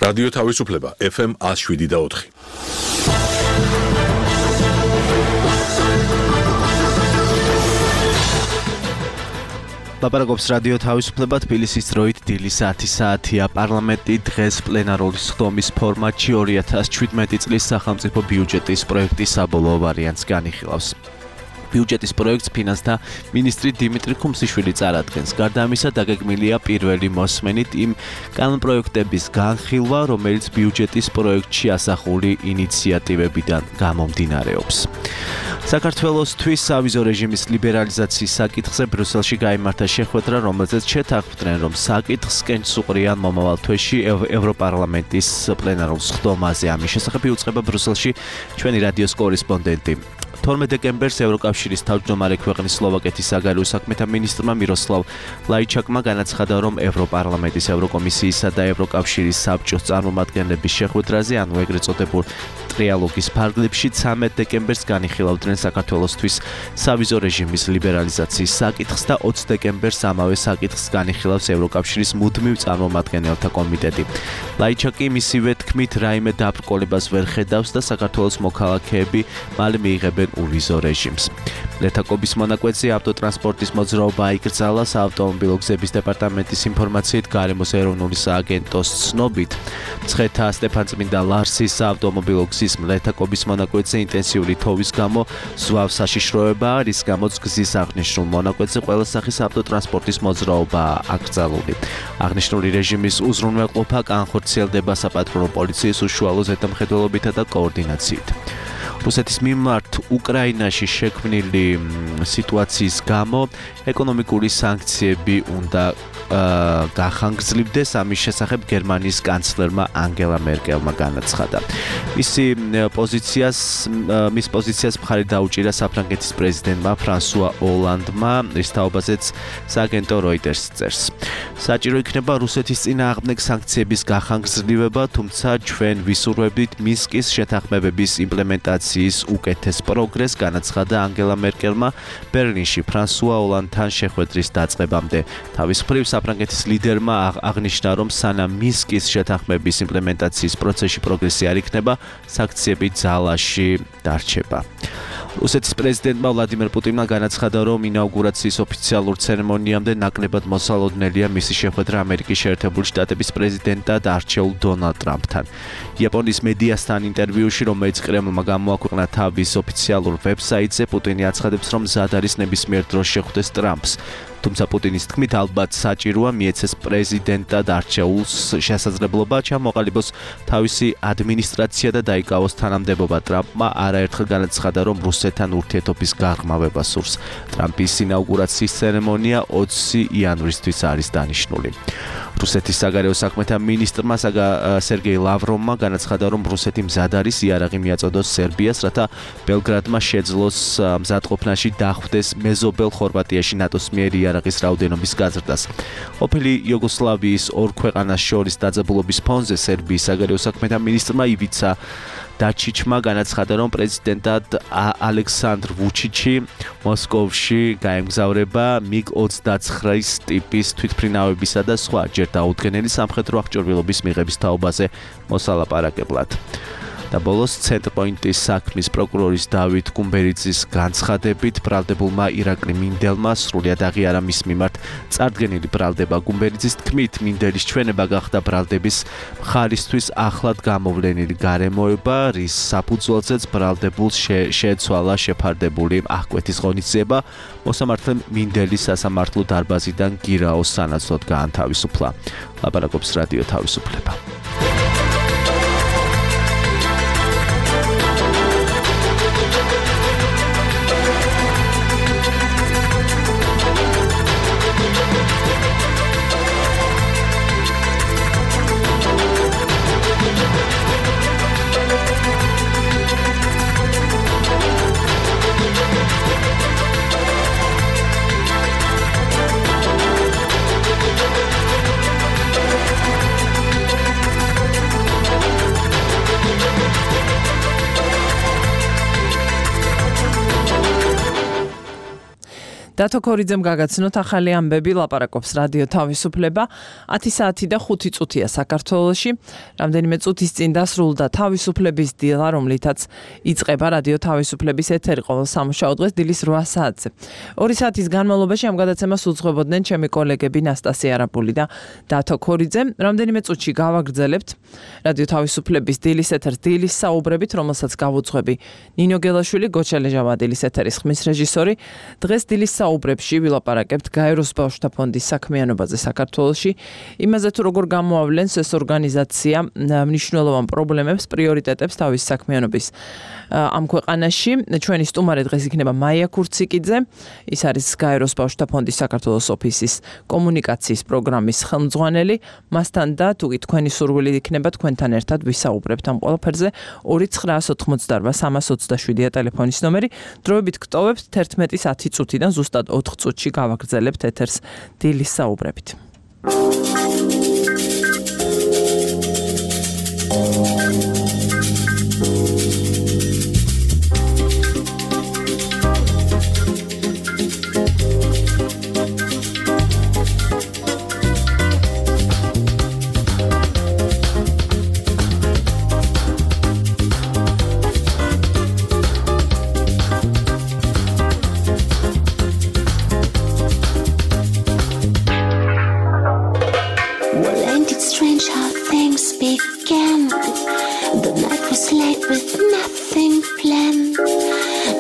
რადიო თავისუფლება FM 107.4. ლაპარაკობს რადიო თავისუფლება თბილისის დროით დილის 10 საათია. პარლამენტი დღეს პლენარული სხდომის ფორმატში 2017 წლის სახელმწიფო ბიუჯეტის პროექტის საბოლოო ვარიანტს განიხილავს. ბიუჯეტის პროექტს ფინანსთა მინისტრი დიმიტრი ხუმსიშვილი წარადგენს. გარდა ამისა, დაგეგმილია პირველი მოსმენით იმ კანონპროექტების განხილვა, რომელიც ბიუჯეტის პროექტში ასახული ინიციატივებიდან გამომდინარეობს. საქართველოსთვის სავიზო რეჟიმის ლიბერალიზაციის საკითხზე ბრიუსელში გაიმართა შეხვედრა, რომელზეც შეთანხმდნენ, რომ საკითხს უყრიან მომავალ თვეში ევროპარლამენტის პლენარულ სხდომაზე. ამის შესახებ იუწყება ბრიუსელში ჩვენი რადიოს კორესპონდენტი. 12 დეკემბერს ევროკავშირის თავმჯდომარე ქვეყნის სლოვაკეთის საგარეო საქმეთა მინისტრმა მიროსლავ ლაიჩაკმა განაცხადა, რომ ევროპარლამენტის, ევროკომისიისა და ევროკავშირის საბჭოს წარმომადგენლების შეხვედრაზე, ანუ ეგრეთ წოდებულ ტრიალოგის ფარგლებში 13 დეკემბერს განიხილავდნენ საქართველოსთვის სავიზო რეჟიმის ლიბერალიზაციის საკითხს და 20 დეკემბერს ამავე საკითხს განიხილავს ევროკავშირის მუდმივ წარმომადგენელთა კომიტეტი. ლაიჩაკი მისივე თქმით რაიმე დაბრკოლებას ვერ ხედავს და საქართველოს მოქალაქეები მალე მიიღებენ ულვიზო რეჟიმს. ლეთაკობის მონაკვეთზე ავტოტრანსპორტის მოძრაობა აიკრძალა. საავტომობილო გზების დეპარტამენტის ინფორმაციით, გარემოს ეროვნული სააგენტოს ცნობით, მცხეთა სტეფანწმინდა ლარსის საავტომობილო გზის ლეთაკობის მონაკვეთზე ინტენსიური თოვის გამო ზვავ საშიშროებაა, რის გამოც გზის აღნიშნულ მონაკვეთზე ყველა სახის ავტოტრანსპორტის მოძრაობაა აკრძალული. აღნიშნული რეჟიმის უზრუნველყოფა განხორციელდება საპატრულო პოლიციის უშუალო ზედამხედველობითა და კოორდინაციით. რუსეთის მიმართ უკრაინაში შექმნილი სიტუაციის გამო ეკონომიკური სანქციები უნდა გახანგრძლივდეს. ამის შესახებ გერმანიის კანცლერმა ანგელა მერკელმა განაცხადა. მის პოზიციას მხარი დაუჭირა საფრანგეთის პრეზიდენტმა ფრანსუა ოლანდმა, რის თაობაზეც სააგენტო როიტერს წერს. საჭირო იქნება რუსეთის წინააღმდეგ სანქციების გახანგრძლივება, თუმცა ჩვენ ვისურვებთ მინსკის შეთანხმებების იმპლემენტაციის უკეთეს პროგრესს, განაცხადა ანგელა მერკელმა ბერლინში ფრანსუა ოლანდთან შეხვედრის დაწყებამდე. თავის მხრივ საფრანგეთის ლიდერმა აღნიშნა, რომ სანამ მინსკის შეთანხმების იმპლემენტაციის პროცესში პროგრესი არ იქნება, სანქციები ძალაში დარჩება. რუსეთის პრეზიდენტმა ვლადიმერ პუტინმა განაცხადა, რომ ინაუგურაციის ოფიციალურ ცერემონიამდე ნაკლებად მოსალოდნელია მისი შეხვედრა ამერიკის შეერთებული შტატების პრეზიდენტად არჩეულ დონალდ ტრამპთან. იაპონიის მედიასთან ინტერვიუში, რომელიც კრემლმა გამოაქვეყნა თავის ოფიციალურ ვებსაიტზე, პუტინი აცხადებს, რომ მზად არის ნებისმიერ დროს შეხვდეს ტრამპს. თუმცა პუტინის თქმით, ალბათ საჭიროა მიეცეს პრეზიდენტად არჩეულს შესაძლებლობა ჩამოყალიბოს თავისი ადმინისტრაცია და დაიკავოს თანამდებობა. ტრამპმა არაერთხელ განაცხადა, რომ რუსეთთან ურთიერთობის გაღრმავება სურს. ტრამპის ინაუგურაციის ცერემონია 20 იანვრისთვის არის დანიშნული. რუსეთის საგარეო საქმეთა მინისტრმა სერგეი ლავროვმა განაცხადა, რომ რუსეთი მზად არის იარაღი მიაწოდოს სერბიას, რათა ბელგრადმა შეძლოს მზადყოფნაში დახვდეს მეზობელ ხორვატიაში ნატოს მიერ იარაღის რაოდენობის გაზრდას. ყოფილი იუგოსლავიის ორ ქვეყანას შორის დაძაბულობის ფონზე სერბიის საგარეო საქმეთა მინისტრმა ივიცა დაჩიჩმა განაცხადა, რომ პრეზიდენტად ალექსანდრ ვუჩიჩი მოსკოვში გაემგზავრება MiG-29 ტიპის თვითმფრინავებისა და სხვა ჯერ დაუდგენელი სამხედრო აღჭურვილობის მიღების თაობაზე მოსალაპარაკებლად. და ბოლოს ცენტრპოინტის საქმის პროკურორის დავით გუმბერიძის განცხადებით, ბრალდებულმა ირაკლი მინდელმა სრულად აღიარა მის მიმართ წარდგენილი ბრალდება. გუმბერიძის თქმით, მინდელის ჩვენება გახდა ბრალდების მხარისთვის ახლად გამოვლენილი გარემოება, რის საფუძველზეც ბრალდებულს შეეცვალა შეფარდებული აღკვეთის ღონისძიება. მოსამართლემ მინდელის სასამართლო დარბაზიდან გირაოს სანაცვლოდ გაანთავისუფლა. ლაპარაკობს რადიო თავისუფლება. დათო ქორიძემ გაგაცნოთ ახალი ამბები, ლაპარაკობს რადიო თავისუფლება. 10 საათი და 5 წუთია საქართველოში. რამდენიმე წუთის წინ დასრულდა თავისუფლების დილა, რომლითაც იწყება რადიო თავისუფლების ეთერი ყოველ სამუშაო დღეს დილის 8 საათზე. 2 საათის განმავლობაში ამ გადაცემას უძღვებოდნენ ჩემი კოლეგები ნასტასია არაბული და დათო ქორიძე. რამდენიმე წუთში გავაგრძელებთ რადიო თავისუფლების დილის ეთერს დილის საუბრებით, რომელსაც გავუძღვები ნინო გელაშვილი, გოჩალე ჟავადილის ეთერის ხმის რეჟისორი. დღეს დილის საუბრებში ვილაპარაკებთ გაეროს ბავშვთა ფონდის საქმიანობაზე საქართველოში, იმაზე თუ როგორ გამოავლენს ეს ორგანიზაცია მნიშვნელოვან პრობლემებს, პრიორიტეტებს თავის საქმიანობის ამ ქვეყანაში. ჩვენი სტუმარი დღეს იქნება მაია ქურციკიძე, ის არის გაეროს ბავშვთა ფონდის საქართველოს ოფისის კომუნიკაციის პროგრამის ხელმძღვანელი. მასთან და თუ თქვენი სურვილი იქნება თქვენთან ერთად ვისაუბრებთ ამ ყველაფერზე. 2988-327-ია ტელეფონის ნომერი. დროებით გტოვებთ 11:10 წუთიდან ზუსტად 4 წუთში გავაგრძელებთ ეთერს დილის საუბრებით.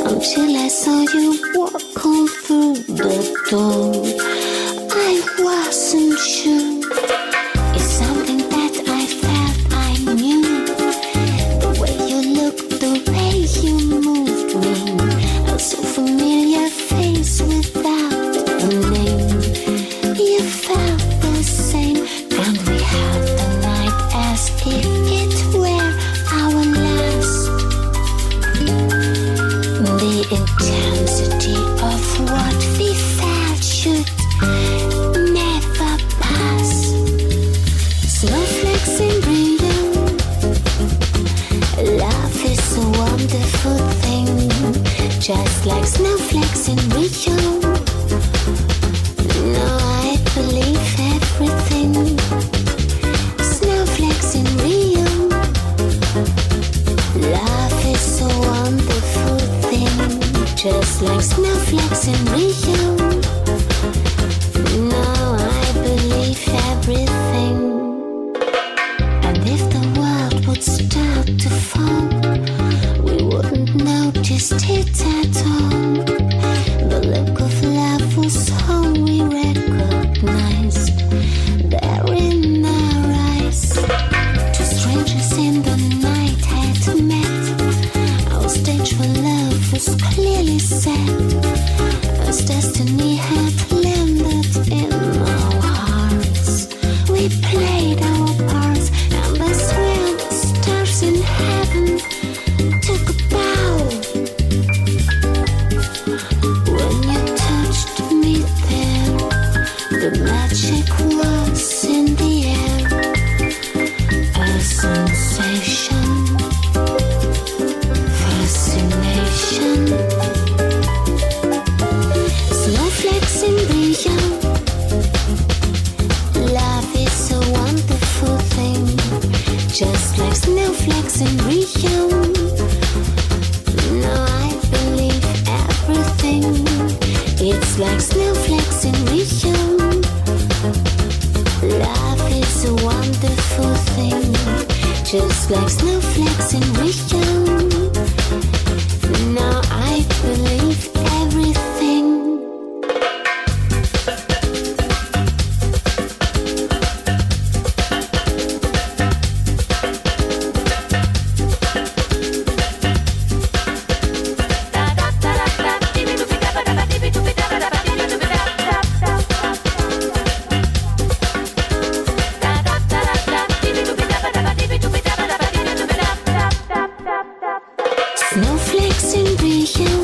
Until I saw you walk on through the door, I wasn't sure. It's something that I felt I knew. The way you looked, the way you moved me, a so familiar face without a name. You felt the same, and we had the night as if it were our last. The intensity of what we felt should never pass. Snowflakes in Rio, love is a wonderful thing, just like snowflakes in Rio. Now I believe everything. Snowflakes in Rio, love is a wonderful thing, just like snowflakes in Rio. Now I believe everything. And if the world would start to fall, we wouldn't notice it at all. The look of love was all we recognized there in our eyes. Two strangers in the night had met. Our stage for love was clearly set, as destiny had landed in our hearts. We played our parts, and I swear the stars in heaven took a bow. When you touched me there, the magic was in the air, a sensation. Fascination. Snowflakes in Rio, love is a wonderful thing, just like snowflakes in Rio. Now I believe everything. It's like snowflakes in Rio. Love is a wonderful thing, just like snowflakes in Rio. Now I believe everything. Snowflakes in Rio,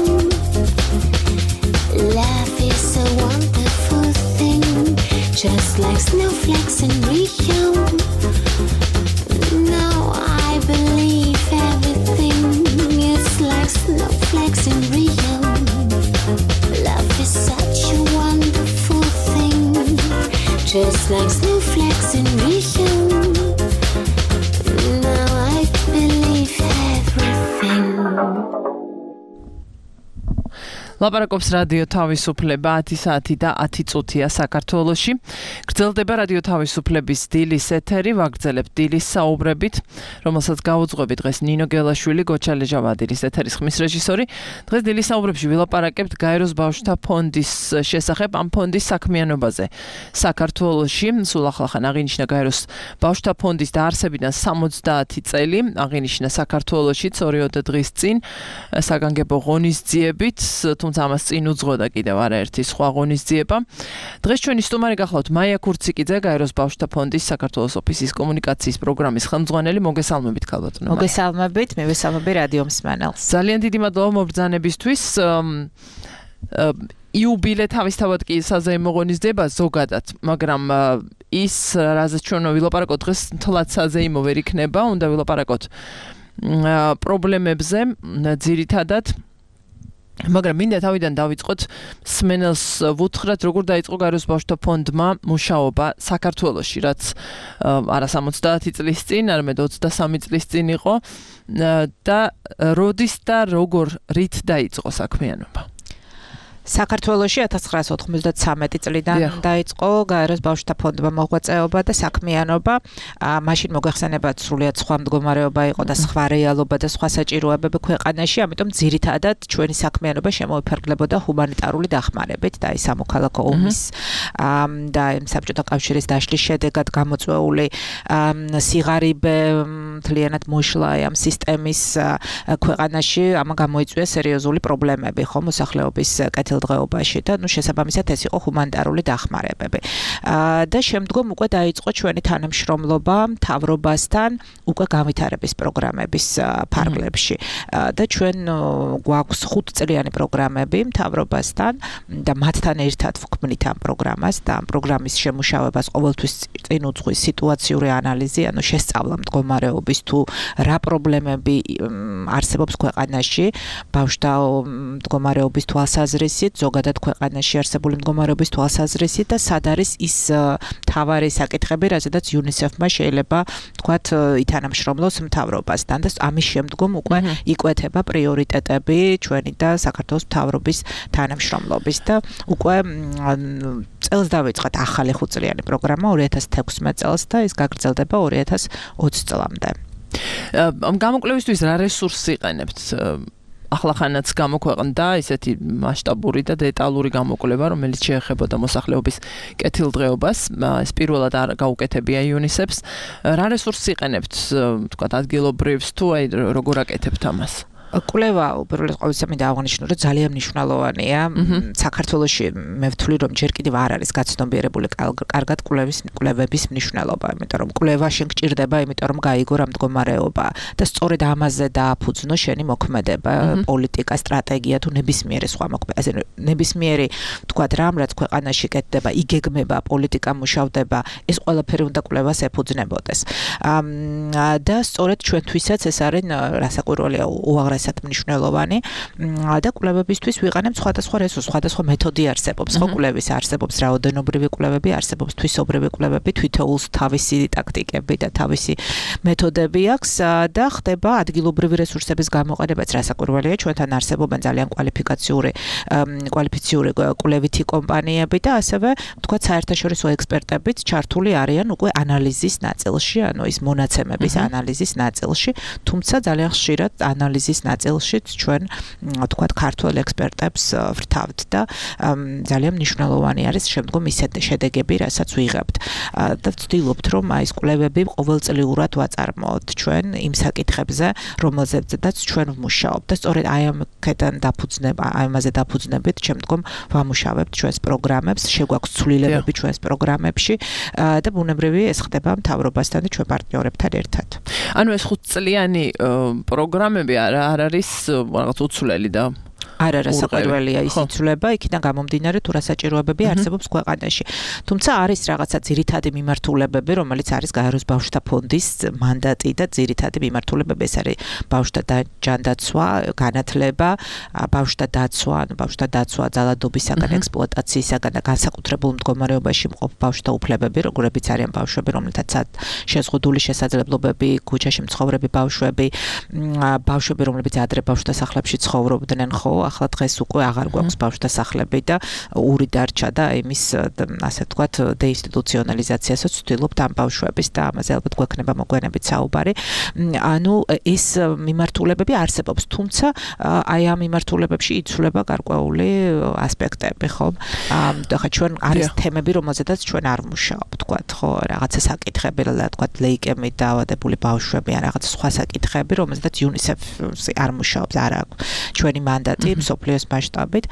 love is a wonderful thing, just like snowflakes in Rio. Now I believe everything. It's like snowflakes in Rio. Love is such a just like snowflakes in riechen. Now I believe everything. ლაპარაკობს რადიო თავისუფლება 10 საათი და 10 წუთია საქართველოში. გრძელდება რადიო თავისუფლების დილის ეთერი, ვაგრძელებთ დილის საუბრებით, რომელსაც გაუძღვები დღეს ნინო გელაშვილი, გოჩალე ჟავადილის ეთერის ხმის რეჟისორი. დღეს დილის საუბრებში ვილაპარაკებთ გაეროს ბავშვთა ფონდის შესახებ, ამ ფონდის საქმიანობაზე. საქართველოში სულ ახლახან აღინიშნა გაეროს ბავშვთა ფონდის დაარსებიდან 70 წელი, აღინიშნა საქართველოში 2 დღის წინ საგანგებო ღონისძიებით, თუმცა ამას წინ უძღოდა კიდევ არაერთი სხვა ღონისძიება. დღეს ჩვენი სტუმარი გახლავთ მაია ქურციკიძე, გაეროს ბავშვთა ფონდის საქართველოს ოფისის კომუნიკაციის პროგრამის ხელმძღვანელი. მოგესალმებით ქალბატონო. მოგესალმებით, მივესალმები რადიო მსმენელს. ძალიან დიდი მადლობა მობრძანებისთვის. იუბილე თავისთავად კი საზეიმო ღონისძიება ზოგადად, მაგრამ ის რაზეც ჩვენ ვილაპარაკოთ დღეს თლად საზეიმო ვერ იქნება, უნდა ვილაპარაკოთ პრობლემებზე ძირითადად. მაგრამ მინდა თავიდან დავიწყოთ სმენელს ვუთხრათ როგორ დაიწყო გაეროს ბავშვთა ფონდმა მუშაობა საქართველოში, რაც არა 70 წლის წინ, არამედ 23 წლის წინ იყო და როდის და როგორ რით დაიწყო საქმიანობა? საქართველოში 1993 წლიდან დაიწყო გაეროს ბავშვთა ფონდმა მოღვაწეობა და საქმიანობა. მაშინ მოგეხსენებათ სრულიად სხვა მდგომარეობა იყო და სხვა რეალობა და სხვა საჭიროებები ქვეყანაში, ამიტომ ძირითადად ჩვენი საქმიანობა შემოიფარგლებოდა ჰუმანიტარული დახმარებით და ის სამოქალაქო ომის და საბჭოთა კავშირის დაშლის შედეგად გამოწვეული სიღარიბე მთლიანად მოშლა ამ სისტემის ქვეყანაში, ამ გამოიწვია სერიოზული პრობლემები ხო მოსახლეობის დღეობაში და შესაბამისად ეს იყო ჰუმანიტარული დახმარებები. და შემდგომ უკვე დაიწყო ჩვენი თანამშრომლობა მთავრობასთან უკვე განვითარების პროგრამების ფარგლებში. და ჩვენ გვაქვს 5 წლიანი პროგრამები მთავრობასთან და მათთან ერთად ვქმნით ამ პროგრამას და ამ პროგრამის შემუშავებას ყოველთვის წინ უძღვის სიტუაციური ანალიზი, ანუ შესწავლა მდგომარეობის თუ რა პრობლემები არსებობს ქვეყანაში, ბავშვთა მდგომარეობის თვალსაზრისით, ზოგადად ქვეყანაში არსებული მდგომარეობის თვალსაზრისით და სად არის ის მთავარი საკითხები, რაზედაც UNICEF-მა შეიძლება თქვათ ითანამშრომლოს მთავრობასთან და ამის შემდგომ უკვე იკვეთება პრიორიტეტები ჩვენი და საქართველოს მთავრობის თანამშრომლობის და უკვე წელს დავიწყეთ ახალი 5 წლიანი პროგრამა 2016 წელს და ის გაგრძელდება 2020 წლამდე. ამ გამოკვლევისთვის რა რესურსს იყენებთ? ახლახანაც გამოქვეყნდა ისეთი მასშტაბური და დეტალური გამოკვლევა, რომელიც შეეხებოდა მოსახლეობის კეთილდღეობას. ეს პირველად არ გაუკეთებია UNICEF-ს. რა რესურსს იყენებთ, თქვათ ადგილობრივს თუ აი როგორ აკეთებთ ამას? კვლევა უპირველეს ყოვლისა მინდა აღნიშნო, რომ ძალიან მნიშვნელოვანია. საქართველოში მე ვთვლი, რომ ჯერ კიდევ არ არის გაცნობიერებული კარგად კვლევების მნიშვნელობა, იმიტომ რომ კვლევა შენ გჭირდება, იმიტომ რომ გაიგო რა მდგომარეობა და სწორედ ამაზე დააფუძნო შენი მოქმედება, პოლიტიკა, სტრატეგია თუ ნებისმიერი სხვა მოქმედება. ასე ნებისმიერი თქვათ რამ, რაც ქვეყანაში კეთდება, იგეგმება, პოლიტიკა მუშავდება, ეს ყველაფერი უნდა კვლევას ეფუძნებოდეს. და სწორედ ჩვენთვისაც ეს არის რასაკვირველია უაღრესად მნიშვნელოვანი და კვლევებისთვის ვიყენებთ სხვადასხვა რესურსს, სხვადასხვა მეთოდი არსებობს, ხო კვლევის არსებობს რაოდენობრივი კვლევები, არსებობს თვისობრივი კვლევები, თვითოულს თავისი ტაქტიკები და თავისი მეთოდები აქვს და ხდება ადგილობრივი რესურსების გამოყენებაც რასაკვირველია, ჩვენთან არსებობენ ძალიან კვალიფიციური კვლევითი კომპანიები და ასევე თქვა საერთაშორისო ექსპერტებიც ჩართული არიან უკვე ანალიზის ნაწილში, ანუ ის მონაცემების ანალიზის ნაწილში, თუმცა ძალიან ხშირად ანალიზის ნაწილშიც ჩვენ თქვათ ქართველ ექსპერტებს ვრთავთ და ძალიან მნიშვნელოვანი არის შემდგომ ისეთი შედეგები, რასაც ვიღებთ. და ვცდილობთ, რომ აი ეს კვლევები ყოველწლიურად ვაწარმოოთ ჩვენ იმ საკითხებზე, რომელზედაც ჩვენ ვმუშაობთ და სწორედ აი ამකიდან დაფუძნება, აი ამაზე დაფუძნებით შემდგომ ვამუშავებთ ჩვენს პროგრამებს, შეგვაქვს ცვლილებები ჩვენს პროგრამებში და ბუნებრივი ეს ხდება მთავრობასთან და ჩვენ პარტნიორებთან ერთად. ანუ ეს 5 წლიანი პროგრამები არ არის რაღაც უცვლელი და არა რასაკვირველია ის იცვლება, იქიდან გამომდინარე თუ რა საჭიროებები არსებობს ქვეყანაში. თუმცა არის რაღაცა ძირითადი მიმართულებები, რომელიც არის გაეროს ბავშვთა ფონდის მანდატი და ძირითადი მიმართულებები, ეს არის ბავშვთა ჯანდაცვა, განათლება, ბავშვთა დაცვა, ბავშვთა დაცვა ძალადობისაგან, ექსპლუატაციისაგან და განსაკუთრებულ მდგომარეობაში მყოფ ბავშვთა უფლებები, როგორებიც არიან ბავშვები, რომლითაც შეზღუდული შესაძლებლობები, ქუჩაში მცხოვრები ბავშვები, ბავშვები, რომლებიც ადრე ბავშვთა სახლებში ცხოვრობდნენ, ხო, ახლა დღეს უკვე აღარ გვაქვს ბავშვთა სახლები და ური დარჩა და იმის ასე ვთქვათ დეინსტიტუციონალიზაციასაც ვცდილობთ ამ ბავშვების და ამაზე ალბათ გვექნება მოგვიანებით საუბარი. ანუ ეს მიმართულებები არსებობს, თუმცა აი ამ მიმართულებებში იცვლება გარკვეული ასპექტები, ხო? და ჩვენ არის თემები, რომელზედაც ჩვენ არ ვმუშაობთ, ვთქვათ, ხო, რაღაცა საკითხები, ვთქვათ, ლეიკემით დაავადებული ბავშვები, ან რაღაც სხვა საკითხები, რომელზედაც UNICEF-ი არ მუშაობს, არ აქვს ჩვენი მანდატი მსოფლიოს მასშტაბით.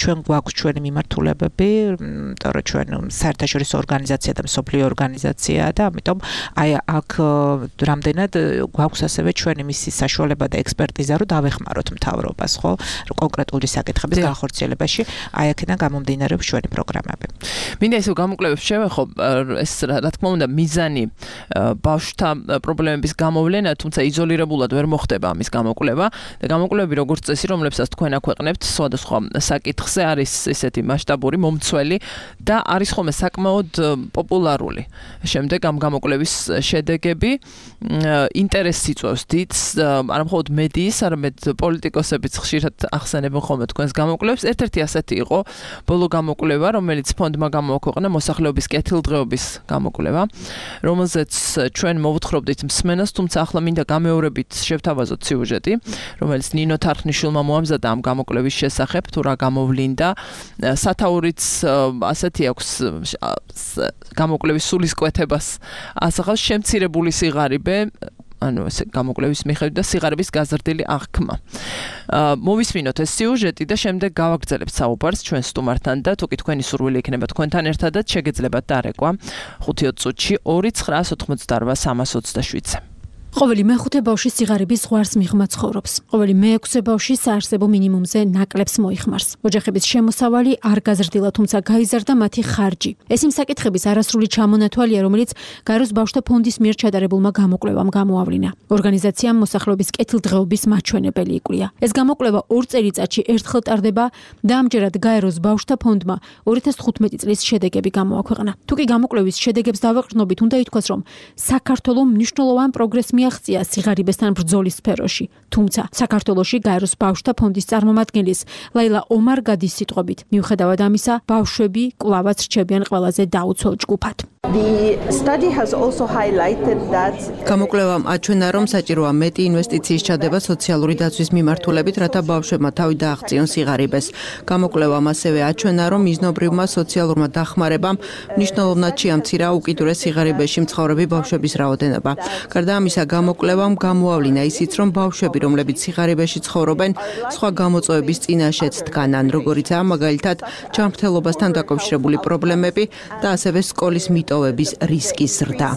ჩვენ გვაქვს ჩვენი მიმართულებები, იმიტომ რომ ჩვენ საერთაშორისო ორგანიზაცია და მსოფლიო ორგანიზაციაა და ამიტომ აი აქ რამდენად გვაქვს ასევე ჩვენი მისის საშუალება და ექსპერტიზა, რომ დავეხმაროთ მთავრობას, ხო, კონკრეტული საკითხების განხორციელებაში, აი აქედან გამომდინარეობს ჩვენი პროგრამები. მინდა ისევ გამოკვლევებს შევეხო, ეს რა თქმა უნდა მიზანი ბავშვთა პრობლემების გამოვლენა, თუმცა იზოლირებულად ვერ მოხდება ამის გამოკვლევა და გამოკვლევები როგორც წესი, რომლებსაც თქვენ აქვეყნებთ, სხვადასხვა საკითხზე არის ესეთი მასშტაბური მომცველი და არის ხოლმე საკმაოდ პოპულარული. შემდეგ ამ გამოკვლევის შედეგები ინტერესს იწვევს დიდს, არა მხოლოდ მედიის, არამედ პოლიტიკოსებიც ხშირად ახსენებენ ხოლმე თქვენს გამოკვლევებს. ერთ-ერთი ასეთი იყო ბოლო გამოკვლევა, რომელიც ფონდმა გამოაქვეყნა, მოსახლეობის კეთილდღეობის გამოკვლევა, რომელზეც ჩვენ მოვუთხრობდით მსმენას, თუმცა ახლა მინდა გამეორებით შევთავაზოთ სიუჟეტი, რომელიც ნინო თარხნიშვილმა მოამზადა ამ გამოკვლევის შესახებ, თუ რა გამოვლინდა. სათაურიც ასეთი აქვს გამოკვლევის სულისკვეთებას ასახავს შემცირებული სიღარიბე, ანუ ეს გამოკვლევის მიხედვით და სიღარიბის გაზრდილი აღქმა. მოვისმინოთ ეს სიუჟეტი და შემდეგ გავაგრძელებთ საუბარს ჩვენ სტუმართან და თუ კი თქვენი სურვილი იქნება თქვენთან ერთადაც შეგეძლებათ დარეკვა 5-20 წუთში 2988327-ზე. ყოველი მეხუთე ბავშვი სიღარიბის ზღვარს მიღმა ცხოვრობს. ყოველი მეექვსე ბავშვი საარსებო მინიმუმზე ნაკლებს მოიხმარს. ოჯახების შემოსავალი არ გაზრდილა, თუმცა გაიზარდა მათი ხარჯი. ეს იმ საკითხების არასრული ჩამონათვალია, რომელიც გაეროს ბავშვთა ფონდის მიერ ჩატარებულმა გამოკვლევამ გამოავლინა. ორგანიზაციამ მოსახლეობის კეთილდღეობის მაჩვენებელი იკვლია. ეს გამოკვლევა 2 წელიწადში ერთხელ ტარდება და ამჯერად გაეროს ბავშვთა ფონდმა 2015 წლის შედეგები გამოაქვეყნა. თუ კი გამოკვლევის შედეგებს დავეყრდნობით, უნდა ითქვას, რომ საქართველოს მნიშვნელოვან პროგრესს მიაღწია სიღარიბესთან ბრძოლის სფეროში. თუმცა საქართველოში გაეროს ბავშვთა ფონდის წარმომადგენლის ლაილა ომარგადის სიტყვებით, მიუხედავად ამისა, ბავშვები კვლავაც რჩებიან ყველაზე დაუცველ ჯგუფად. გამოკვლევამ აჩვენა, რომ საჭიროა მეტი ინვესტიციის ჩადება სოციალური დაცვის მიმართულებით, რათა ბავშვებმა თავი დააღწიონ სიღარიბეს. გამოკვლევამ ასევე აჩვენა, რომ მიზნობრივმა სოციალურმა დახმარებამ მნიშვნელოვნად შეამცირა უკიდურეს სიღარიბეში მცხოვრები ბავშვების რაოდენობა. გარდა ამისა, გამოკვლევამ გამოავლინა ისიც, რომ ბავშვები, რომლებიც სიღარიბეში ცხოვრობენ, სხვა გამოწვევების წინაშეც დგანან, როგორიცაა მაგალითად ჯანმრთელობასთან დაკავშირებული პრობლემები და ასევე სკოლის მიტოვების რისკის ზრდა.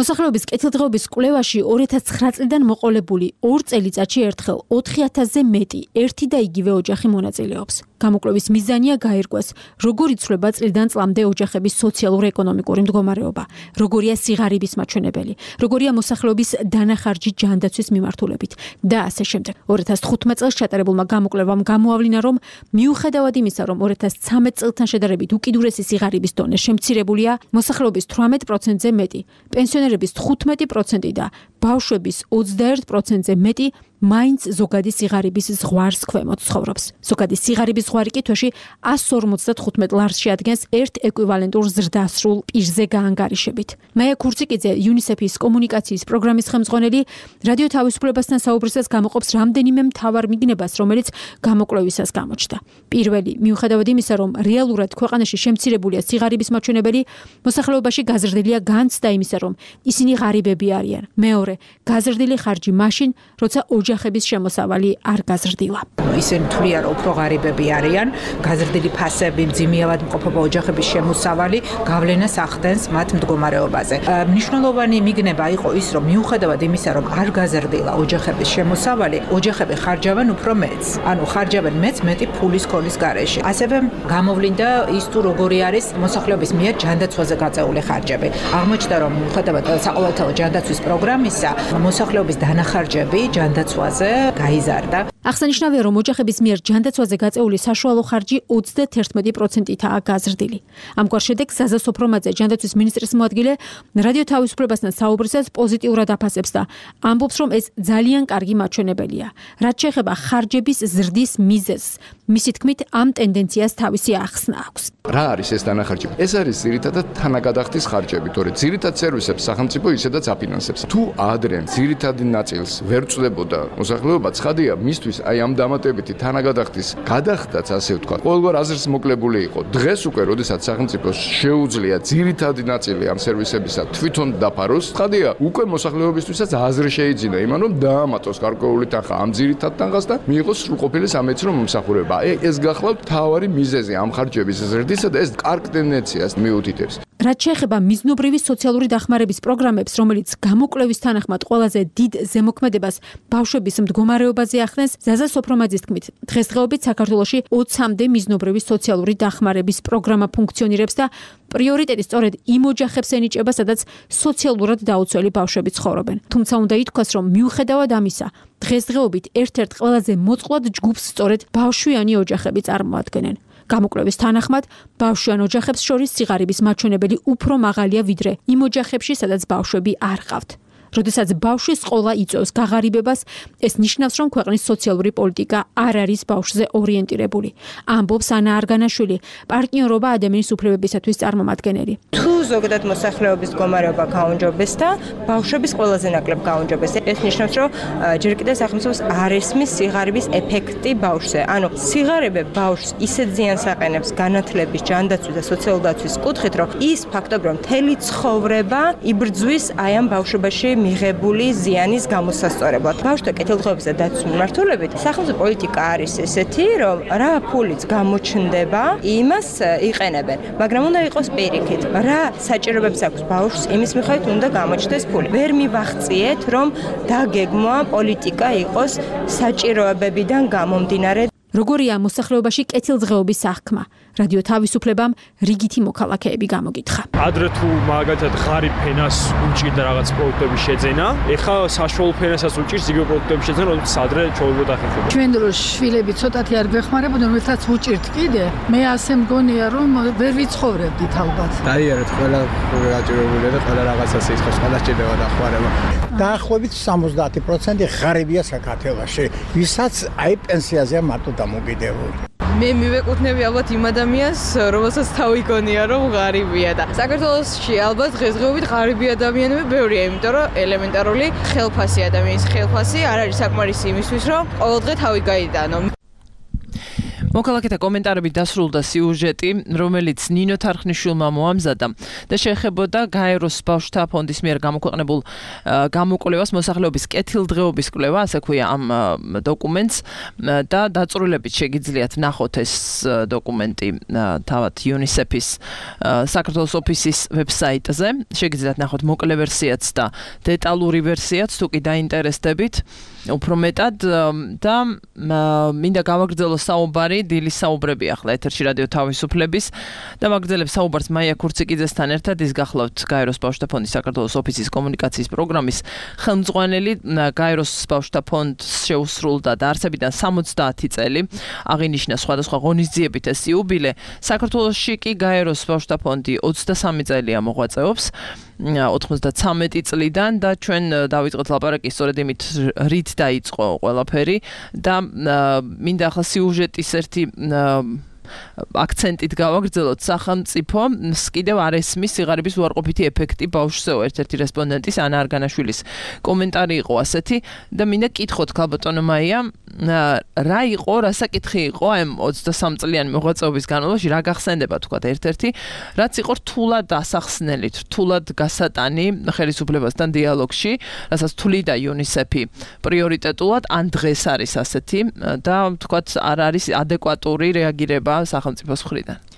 მოსახლეობის კეთილდღეობის კვლევაში 2009 წლიდან მოყოლებული 2 წელიწადში ერთხელ 4000-ზე მეტი ერთი და იგივე ოჯახი მონაწილეობს. გამოკვლევის მიზანია გაირკვეს, როგორ იცვლება წლიდან წლამდე ოჯახების სოციალურ-ეკონომიკური მდგომარეობა, როგორია სიღარიბის მაჩვენებელი, როგორია მოსახლეობის დანახარჯი ჯანდაცვის მიმართულებით და ასე შემდეგ. 2015 წელს ჩატარებულმა გამოკვლევამ გამოავლინა, რომ მიუხედავად იმისა, რომ 2013 წელთან შედარებით უკიდურესი სიღარიბის დონე შემცირებულია, მოსახლეობის 18%-ზე მეტი, პენსიონერების 15% და ბავშვების 21%-ზე მეტი მაინც ზოგადი სიღარიბის ზღვარს ქვემოთ ცხოვრობს. ზოგადი სიღარიბის ზღვარი კი თვეში 155 ლარს შეადგენს ერთ ეკვივალენტურ ზრდასრულ პირზე გაანგარიშებით. მაია ქურციკიძე, UNICEF-ის კომუნიკაციის პროგრამის ხელმძღვანელი, რადიო თავისუფლებასთან საუბრისას გამოყოფს რამდენიმე მთავარ მიგნებას, რომელიც გამოკვლევისას გამოჩნდა. პირველი, მიუხედავად იმისა, რომ რეალურად ქვეყანაში შემცირებულია სიღარიბის მაჩვენებელი, მოსახლეობაში გაზრდილია განცდა იმისა, რომ ისინი ღარიბები არიან. მეორე, გაზრდილი ხარჯი მაშინ, როცა ოჯახების შემოსავალი არ გაზრდილა. ისინი თვლიან, რომ უფრო ღარიბები არიან, გაზრდილი ფასები, მძიმეავად მყოფობა ოჯახების შემოსავალი გავლენას ახდენს მათ მდგომარეობაზე. მნიშვნელოვანი მიგნება იყო ის, რომ მიუხედავად იმისა, რომ არ გაზრდილა ოჯახების შემოსავალი, ოჯახები ხარჯავენ უფრო მეც. ანუ ხარჯავენ მეტი ფულის ქოლის გარეშე. ასევე გამოვლინდა ის თუ როგორი არის მოსახლეობის მიერ ჯანდაცვაზე გაწეული ხარჯები. აღმოჩნდა, რომ მიუხედავად საყოველთაო ჯანდაცვის პროგრამისა, მოსახლეობის დანახარჯები ჯანდაცვაზე გაიზარდა. აღსანიშნავია, რომ ოჯახების მიერ ჯანდაცვაზე გაწეული საშუალო ხარჯი 31%-ითაა გაზრდილი. ამგვარ შედეგს ზაზა სოფრომაძე, ჯანდაცვის მინისტრის მოადგილე, რადიო თავისუფლებასთან საუბრისას პოზიტიურად აფასებს და ამბობს, რომ ეს ძალიან კარგი მაჩვენებელია. რაც შეეხება ხარჯების ზრდის მიზეზს, მისი თქმით, ამ ტენდენციას თავისი ახსნა აქვს. რა არის ეს დანახარჯები? ეს არის ძირითადად თანაგადახდის ხარჯები, თორე ძირითად სერვისებს სახელმწიფო ისედაც აფინანსებს. თუ ადრე ძირითადი ნაწილს ვერ წვდებოდა მოსახლეობა, ცხადია, მისთვის აი ამ დამატებითი თანაგადახდის გადახდაც, ასე ვთქვათ, ყოველგვარ აზრს მოკლებული იყო. დღეს უკვე, როდესაც სახელმწიფოს შეუძლია ძირითადი ნაწილი ამ სერვისებისა თვითონ დაფაროს, ცხადია, უკვე მოსახლეობისთვისაც აზრი შეიძინა იმან, რომ დაამატოს გარკვეული თანხა ამ ძირითად თანხას და მიიღოს სრულყოფილი სამედიცინო მომსახურება. ეს გახლავთ მთავარი მიზეზი ამ ხარჯების ზრდისა და ეს კარგ ტენდენციას მიუთითებს. რაც შეეხება მიზნობრივი სოციალური დახმარების პროგრამებს, რომელიც გამოკვლევის თანახმად ყველაზე დიდ ზემოქმედებას ბავშვების მდგომარეობაზე ახდენს, ზაზა სოფრომაძის თქმით, დღესდღეობით საქართველოში 20-მდე მიზნობრივი სოციალური დახმარების პროგრამა ფუნქციონირებს და პრიორიტეტი სწორედ იმ ოჯახებს ენიჭება, სადაც სოციალურად დაუცველი ბავშვები ცხოვრობენ. თუმცა უნდა ითქვას, რომ მიუხედავად ამისა, დღესდღეობით ერთ-ერთ ყველაზე მოწყვლად ჯგუფს სწორედ ბავშვიანი ოჯახები წარმოადგენენ. გამოკვლევის თანახმად, ბავშვიან ოჯახებს შორის სიღარიბის მაჩვენებელი უფრო მაღალია ვიდრე იმ ოჯახებში, სადაც ბავშვები არ ყავთ. როდესაც ბავშვის ყოლა იწვევს გაღარიბებას, ეს ნიშნავს, რომ ქვეყნის სოციალური პოლიტიკა არ არის ბავშვზე ორიენტირებული. ამბობს ანა არგანაშვილი, პარტნიორობა ადამიანის უფლებებისათვის წარმომადგენელი. თუ ზოგადად მოსახლეობის მდგომარეობა გაუნჯობეს და ბავშვების ყველაზე ნაკლებ გაუნჯობეს, ეს ნიშნავს, რომ ჯერ კიდევ სახელმწიფოს არ ესმის სიღარიბის ეფექტი ბავშვზე. ანუ სიღარიბე ბავშვს ისეთ ზიანს აყენებს განათლების, ჯანდაცვის და სოციალური დაცვის კუთხით, რომ ის ფაქტობრივად მთელი ცხოვრება იბრძვის აი ამ ბავშვობაში მიღებული ზიანის გამოსასწორებლად. ბავშვთა კეთილდღეობის და დაცვის მიმართულებით სახელმწიფო პოლიტიკა არის ესეთი, რომ რა ფულიც გამოჩნდება, იმას იყენებენ. მაგრამ უნდა იყოს პირიქით. რა საჭიროებებს აქვს ბავშვს, იმის მიხედვით უნდა გამოჩნდეს ფული. ვერ მივახციეთ, რომ დაგეგმვა პოლიტიკა იყოს საჭიროებებიდან გამომდინარე. როგორია მოსახლეობაში კეთილდღეობის აღქმა? რადიო თავისუფლებამ რიგითი მოქალაქეები გამოგითხა. ადრე თუ მაგალითად ღარიბ ფენას უჭირდა რაღაც პროდუქტების შეძენა, ეხლა საშუალო ფენასაც უჭირს იგივე პროდუქტების შეძენა, როდესაც ადრე ჩაუბრუნდა ხალხი. ჩვენ დროს შვილები ცოტათი არ გვეხმარებოდნენ, რომელთაც უჭირთ კიდე. მე ასე მგონია, რომ ვერ ვიცხოვრებდით ალბათ. დაიერეთ, ყველა გაჭირებულია და ყველა რაღაცას იხოს, ყველა სჭირდება დახმარება. დაახლოებით 70% ღარიბია საქართველოში, ვისაც აი პენსიაზეა მარტო დამოკიდებული. მე მივეკუთვნები ალბათ იმ ადამიანს, რომელსაც თავი გონია, რომ ღარიბია და საქართველოში ალბათ დღესდღეობით ღარიბი ადამიანები ბევრია, იმიტომ რომ ელემენტარული ხელფასი ადამიანის ხელფასი არ არის საკმარისი იმისთვის, რომ ყოველდღე თავი გაიდანო. მოქალაქეთა კომენტარებით დასრულდა სიუჟეტი, რომელიც ნინო თარხნიშვილმა მოამზადა და შეეხებოდა გაეროს ბავშვთა ფონდის მიერ გამოქვეყნებულ გამოკვლევას მოსახლეობის კეთილდღეობის კვლევა, ასე ქვია ამ დოკუმენტს და დაწვრილებით შეგიძლიათ ნახოთ ეს დოკუმენტი თავად UNICEF-ის საქართველოს ოფისის ვებსაიტზე. შეგიძლიათ ნახოთ მოკლე ვერსიაც და დეტალური ვერსიაც, თუ კი დაინტერესდებით უფრო მეტად და მინდა გავაგრძელოს საუბარი დილის საუბრები ახლა ეთერში რადიო თავისუფლების და მაგრძელებს საუბარს მაია ქურციკიძესთან ერთად. ის გახლავთ გაეროს ბავშვთა ფონდის საქართველოს ოფისის კომუნიკაციის პროგრამის ხელმძღვანელი. გაეროს ბავშვთა ფონდს შეუსრულდა დაარსებიდან 70 წელი, აღინიშნა სხვადასხვა ღონისძიებით ეს იუბილე. საქართველოში კი გაეროს ბავშვთა ფონდი 23 წელია მოღვაწეობს 93 წლიდან და ჩვენ დავიწყოთ ლაპარაკი სწორედ იმით რით დაიწყო ყველაფერი და მინდა ახლა სიუჟეტის ერთი აქცენტით გავაგრძელოთ. სახელმწიფო კიდევ არ ესმის სიღარიბის უარყოფითი ეფექტი ბავშვზეო. ერთ-ერთი რესპონდენტის ანა არგანაშვილის კომენტარი იყო ასეთი და მინდა კითხოთ ქალბატონო მაია, რა იყო, რა საკითხი იყო ამ 23 წლიანი მოღვაწეობის განმავლობაში, რა გახსენდება თქვა ერთ-ერთი, რაც იყო რთულად ასახსნელი, რთულად გასატანი ხელისუფლებასთან დიალოგში, რასაც თვლიდა UNICEF-ი პრიორიტეტულად, ან დღეს არის ასეთი და თქვა არ არის ადეკვატური რეაგირება სახელმწიფოს მხრიდან.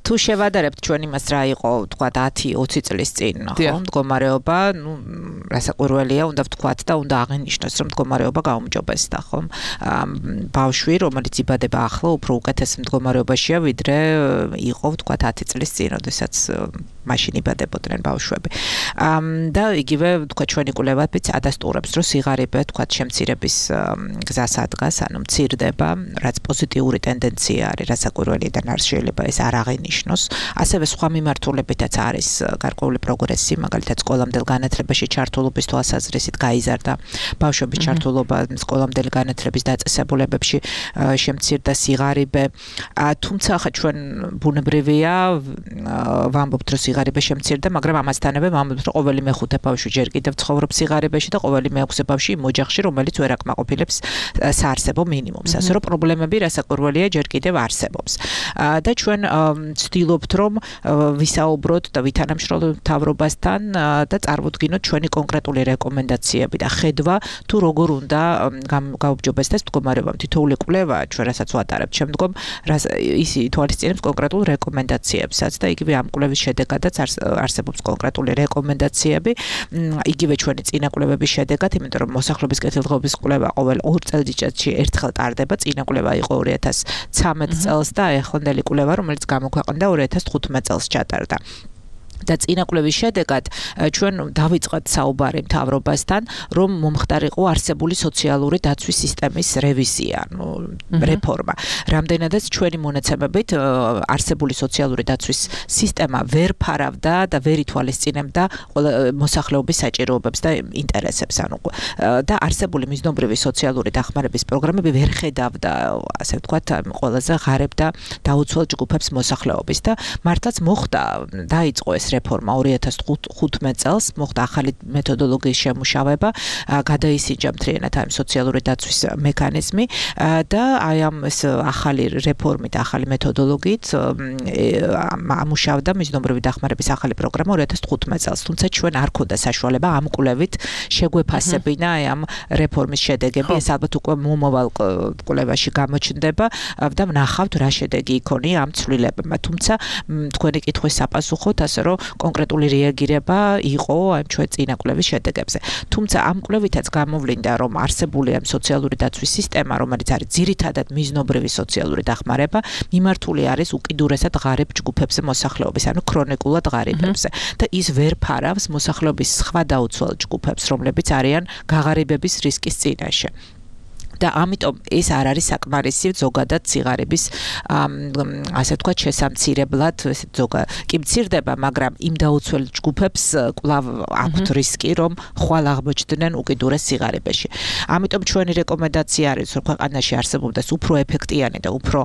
თუ შევადარებთ ჩვენ იმას რა იყო თქვა 10-20 წლის წინ ხო მდგომარეობა რასაკვირველია უნდა ვთქვათ და უნდა აღინიშნოს რომ მდგომარეობა გაუმჯობესდა ხო ბავშვი რომელიც იბადება ახლა უფრო უკეთეს მდგომარეობაშია ვიდრე იყო ვთქვათ 10 წლის წინ როდესაც მაშინ იბადებოდნენ ბავშვები და იგივე თქვა ჩვენი კვლევებიც ადასტურებს რომ სიღარიბე თქვა შემცირების გზას ადგას ანუ მცირდება რაც პოზიტიური ტენდენცია არის რასაკვირველია და არ შეიძლება ეს არ აღინიშნოს ასევე სხვა მიმართულებითაც არის გარკვეული პროგრესი მაგალითად სკოლამდელ განათლებაში ჩართულობის თვალსაზრისით გაიზარდა ბავშვების ჩართულობა სკოლამდელი განათლების დაწესებულებებში შემცირდა სიღარიბე თუმცა ახლა ჩვენ ბუნებრივია ვამბობთ რომ სიღარიბე შემცირდა მაგრამ ამასთანავე ვამბობთ რომ ყოველი მეხუთე ბავშვი ჯერ კიდევ ცხოვრობს სიღარიბეში და ყოველი მეექვსე ბავშვი იმ ოჯახში რომელიც ვერ აკმაყოფილებს საარსებო მინიმუმს ასე რომ პრობლემები რასაკვირველია ჯერ კიდევ არსებობს და ჩვენ ვცდილობთ რომ ვისაუბროთ და ვითანამშრომლოთ მთავრობასთან და წარმოვდგინოთ ჩვენი კონკრეტული რეკომენდაციები და ხედვა თუ როგორ უნდა გაუმჯობესდეს მდგომარეობა თითოეული კვლევა ჩვენ რასაც ვატარებთ შემდგომ ის ითვალისწინებს კონკრეტულ რეკომენდაციებსაც და იგივე ამ კვლევის შედეგადაც არსებობს კონკრეტული რეკომენდაციები იგივე ჩვენი წინა კვლევების შედეგად იმიტომ რომ მოსახლეობის კეთილდღეობის კვლევა ყოველ 2 წელიწადში ერთხელ ტარდება წინა კვლევა იყო 2013 წელს და ეხლანდელი კვლევა რომელიც გამოქვეყნდა 2015 წელს ჩატარდა და წინა კვლევის შედეგად ჩვენ დავიწყეთ საუბარი მთავრობასთან რომ მომხდარიყო არსებული სოციალური დაცვის სისტემის რევიზია რეფორმა რამდენადაც ჩვენი მონაცემებით არსებული სოციალური დაცვის სისტემა ვერ ფარავდა და ვერ ითვალისწინებდა მოსახლეობის საჭიროებებს და ინტერესებს ანუ და არსებული მიზნობრივი სოციალური დახმარების პროგრამები ვერ ხედავდა ასე ვთქვათ ყველაზე ღარიბ და დაუცველ ჯგუფებს მოსახლეობის და მართლაც მოხდა დაიწყო ეს რეფორმა 2015 წელს მოხდა ახალი მეთოდოლოგიის შემუშავება გადაისინჯა მთლიანად ამ სოციალური დაცვის მექანიზმი და აი ამ ეს ახალი რეფორმით ახალი მეთოდოლოგიით ამუშავდა მიზნობრივი დახმარების ახალი პროგრამა 2015 წელს თუმცა ჩვენ არ ქონდა საშუალება ამ კვლევით შეგვეფასებინა აი ამ რეფორმის შედეგები ეს ალბათ უკვე მომავალ კვლევაში გამოჩნდება და ვნახავთ რა შედეგი იქონია ამ ცვლილებებმა თუმცა თქვენი კითხვის საპასუხოდ ასე რომ კონკრეტული რეაგირება იყო ამ ჩვენ წინა კვლევის შედეგებზე. თუმცა ამ კვლევითაც გამოვლინდა, რომ არსებული ამ სოციალური დაცვის სისტემა, რომელიც არის ძირითადად მიზნობრივი სოციალური დახმარება, მიმართული არის უკიდურესად ღარიბ ჯგუფებზე მოსახლეობის, ანუ ქრონიკულად ღარიბებზე და ის ვერ ფარავს მოსახლეობის სხვა დაუცველ ჯგუფებს, რომლებიც არიან გაღარიბების რისკის წინაშე. და ამიტომ ეს არ არის საკმარისი ზოგადად სიღარიბის ასე ვთქვათ შესამცირებლად კი მცირდება მაგრამ იმ დაუცველ ჯგუფებს კვლავ აქვთ რისკი რომ ხვალ აღმოჩნდნენ უკიდურეს სიღარიბეში ამიტომ ჩვენი რეკომენდაცია არის რომ ქვეყანაში არსებობდეს უფრო ეფექტიანი და უფრო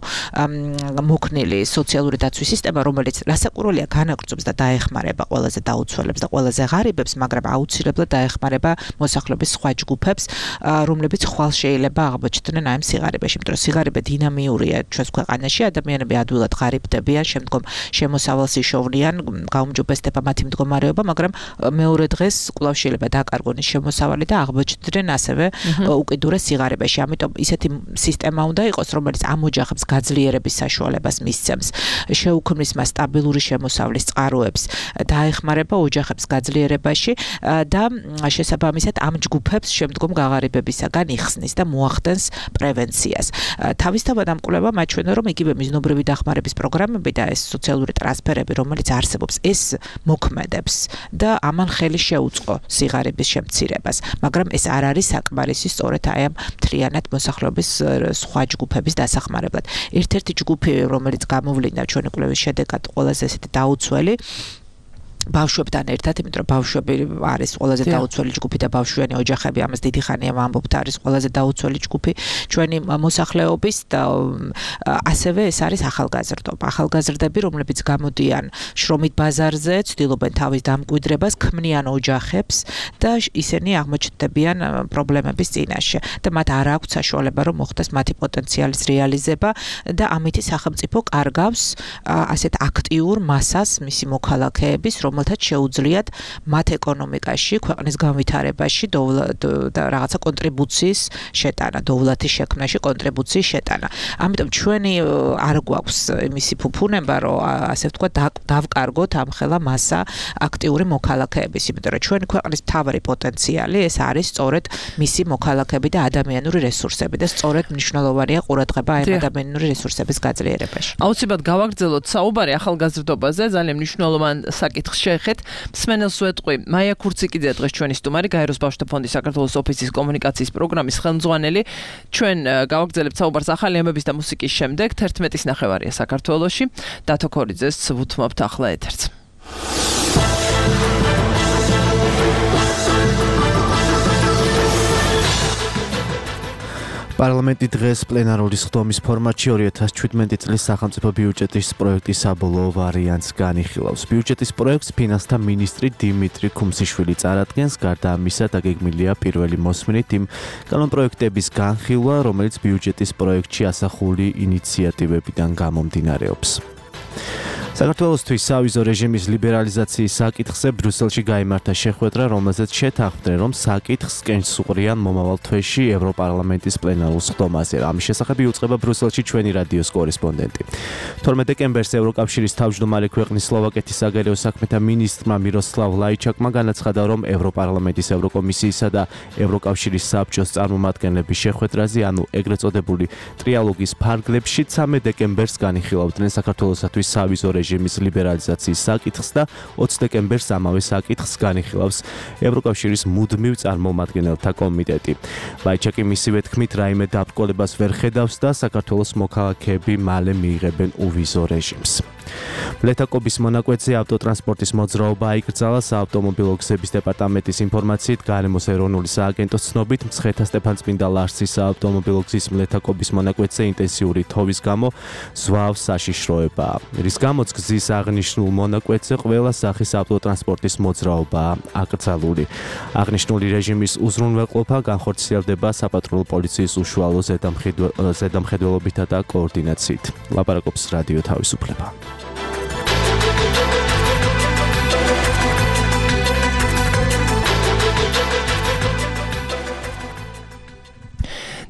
მოქნილი სოციალური დაცვის სისტემა რომელიც რასაკვირველია განაგრძობს და დაეხმარება ყველაზე დაუცველებს და ყველაზე ღარიბებს მაგრამ აუცილებლად დაეხმარება მოსახლეობის სხვა ჯგუფებს რომლებიც ხვალ შეიძლება აღმოჩნდნენ ამ სიღარიბეში, იმიტომ რომ სიღარიბე დინამიურია ჩვენს ქვეყანაში, ადამიანები ადვილად ღარიბდებიან, შემდგომ შემოსავალს იშოვნიან, გაუმჯობესდება მათი მდგომარეობა, მაგრამ მეორე დღეს კვლავ შეიძლება დაკარგონ ის შემოსავალი და აღმოჩნდნენ ასევე უკიდურეს სიღარიბეში. ამიტომ ისეთი სისტემა უნდა იყოს, რომელიც ამ ოჯახებს გაძლიერების საშუალებას მისცემს, შეუქმნის მას სტაბილური შემოსავლის წყაროებს, დაეხმარება ოჯახებს გაძლიერებაში და შესაბამისად ამ ჯგუფებს შემდგომ გაღარიბებისაგან იხსნის და მოახდენს პრევენციას. თავისთავად ამ კვლევამ აჩვენა, რომ იგივე მიზნობრივი დახმარების პროგრამები და ეს სოციალური ტრანსფერები, რომელიც არსებობს, ეს მოქმედებს და ამან ხელი შეუწყო სიღარიბის შემცირებას, მაგრამ ეს არ არის საკმარისი სწორედ აი ამ მთლიანად მოსახლეობის სხვა ჯგუფების დასახმარებლად. ერთ-ერთი ჯგუფი, რომელიც გამოვლინდა ჩვენი კვლევის შედეგად ყველაზე ესეთი დაუცველი ბავშვებთან ერთად, იმიტომ რომ ბავშვები არის ყველაზე დაუცველი ჯგუფი და ბავშვიანი ოჯახები ამას დიდი ხანია ვამბობთ არის ყველაზე დაუცველი ჯგუფი ჩვენი მოსახლეობის და ასევე ეს არის ახალგაზრდობა. ახალგაზრდები, რომლებიც გამოდიან შრომით ბაზარზე, ცდილობენ თავის დამკვიდრებას, ქმნიან ოჯახებს და ისინი აღმოჩნდებიან პრობლემების წინაშე და მათ არ აქვთ საშუალება რომ მოხდეს მათი პოტენციალის რეალიზება და ამით სახელმწიფო კარგავს ასეთ აქტიურ მასას მისი მოქალაქეების, რომელთაც შეუძლიათ მათ ეკონომიკაში, ქვეყნის განვითარებაში და რაღაცა კონტრიბუციის შეტანა, დოვლათის შექმნაში კონტრიბუციის შეტანა. ამიტომ ჩვენი არ გვაქვს იმისი ფუფუნება, რომ ასე ვთქვათ, დავკარგოთ ამ ხელა მასა აქტიური მოქალაქეების, იმიტომ რომ ჩვენი ქვეყნის მთავარი პოტენციალი ეს არის სწორედ მისი მოქალაქეები და ადამიანური რესურსები და სწორედ მნიშვნელოვანია ყურადღება ამ ადამიანური რესურსების გაძლიერებაში. აუცილებლად გავაგრძელოთ საუბარი ახალგაზრდობაზე, ძალიან მნიშვნელოვან საკითხს შეეხეთ. მსმენელს ვეტყვი, მაია ქურციკიძე დღეს ჩვენი სტუმარი, გაეროს ბავშვთა ფონდის საქართველოს ოფისის კომუნიკაციის პროგრამის ხელმძღვანელი. ჩვენ გავაგრძელებთ საუბარს ახალი ამბების და მუსიკის შემდეგ 11:30 საქართველოში. დათო ქორიძეს ვუთმობთ ახლა ეთერს. პარლამენტი დღეს პლენარული სხდომის ფორმატში 2017 წლის სახელმწიფო ბიუჯეტის პროექტის საბოლოო ვარიანტს განიხილავს. ბიუჯეტის პროექტს ფინანსთა მინისტრი დიმიტრი ქუმსიშვილი წარადგენს. გარდა ამისა, დაგეგმილია პირველი მოსმენით იმ კანონპროექტების განხილვა, რომელიც ბიუჯეტის პროექტში ასახული ინიციატივებიდან გამომდინარეობს. საქართველოსთვის სავიზო რეჟიმის ლიბერალიზაციის საკითხზე ბრიუსელში გაიმართა შეხვედრა, რომელზეც შეთანხმდნენ, რომ საკითხს კენჭს უყრიან მომავალ თვეში ევროპარლამენტის პლენარულ სხდომაზე. ამის შესახებ იუწყება ბრიუსელში ჩვენი რადიოს კორესპონდენტი. 12 დეკემბერს ევროკავშირის თავმჯდომარე ქვეყნის სლოვაკეთის საგარეო საქმეთა მინისტრმა მიროსლავ ლაიჩაკმა განაცხადა, რომ ევროპარლამენტის ევროკომისიისა და ევროკავშირის საბჭოს წარმომადგენლების შეხვედრაზე, ანუ ეგრეთ წოდებული ტრიალოგის ფარგლებში 13 დეკემბერს განიხილავდნენ საქართველოსათვის სავიზო რეჟიმის ლიბერალიზაციის საკითხს და 20 დეკემბერს ამავე საკითხს განიხილავს ევროკავშირის მუდმივ წარმომადგენელთა კომიტეტი. ლაიჩაკი მისივე თქმით, რაიმე დაბრკოლებას ვერ ხედავს და საქართველოს მოქალაქეები მალე მიიღებენ უვიზო რეჟიმს. ლეთაკობის მონაკვეთზე ავტოტრანსპორტის მოძრაობა აიკრძალა. საავტომობილო გზების დეპარტამენტის ინფორმაციით, გარემოს ეროვნული სააგენტოს ცნობით, მცხეთა სტეფანწმინდა ლარსის საავტომობილო გზის ლეთაკობის მონაკვეთზე ინტენსიური თოვის გამო ზვავს საშიშროებაა. რის გამოც გზის აღნიშნულ მონაკვეთზე ყველა სახის ავტოტრანსპორტის მოძრაობაა აკრძალული. აღნიშნული რეჟიმის უზრუნველყოფა განხორციელდება საპატრულო პოლიციის უშუალო ზედამხედველობითა და კოორდინაციით. ლაპარაკობს რადიო თავისუფლება.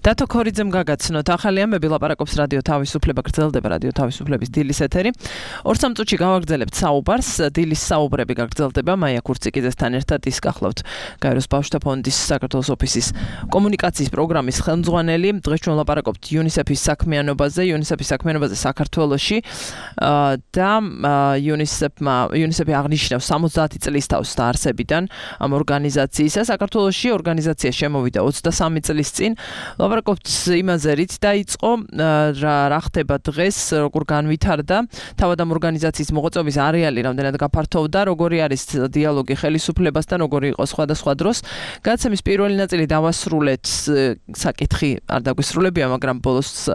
დათო ქორიძემ გაგაცნოთ ახალი ამბები, ლაპარაკობს რადიო თავისუფლება, გრძელდება რადიო თავისუფლების დილის ეთერი. 2-3 წუთში გავაგრძელებთ საუბარს, დილის საუბრები გაგრძელდება მაია ქურციკიძესთან ერთად, ის გახლავთ გაეროს ბავშვთა ფონდის საქართველოს ოფისის კომუნიკაციის პროგრამის ხელმძღვანელი. დღეს ჩვენ ლაპარაკობთ UNICEF-ის საქმიანობაზე საქართველოში და UNICEF-ი აღნიშნავს 70 წლის თავს დაარსებიდან ამ ორგანიზაციისა. საქართველოში ორგანიზაცია შემოვიდა 23 წლის წინ. ლაპარაკობთ იმაზე, რით დაიწყო, რა ხდება დღეს, როგორ განვითარდა, თავად ამ ორგანიზაციის მოღვაწეობის არეალი რამდენად გაფართოვდა, როგორი არის დიალოგი ხელისუფლებასთან, როგორი იყო სხვადასხვა დროს. გადაცემის პირველი ნაწილი დავასრულეთ, საკითხი არ დაგვისრულებია, მაგრამ ბოლოს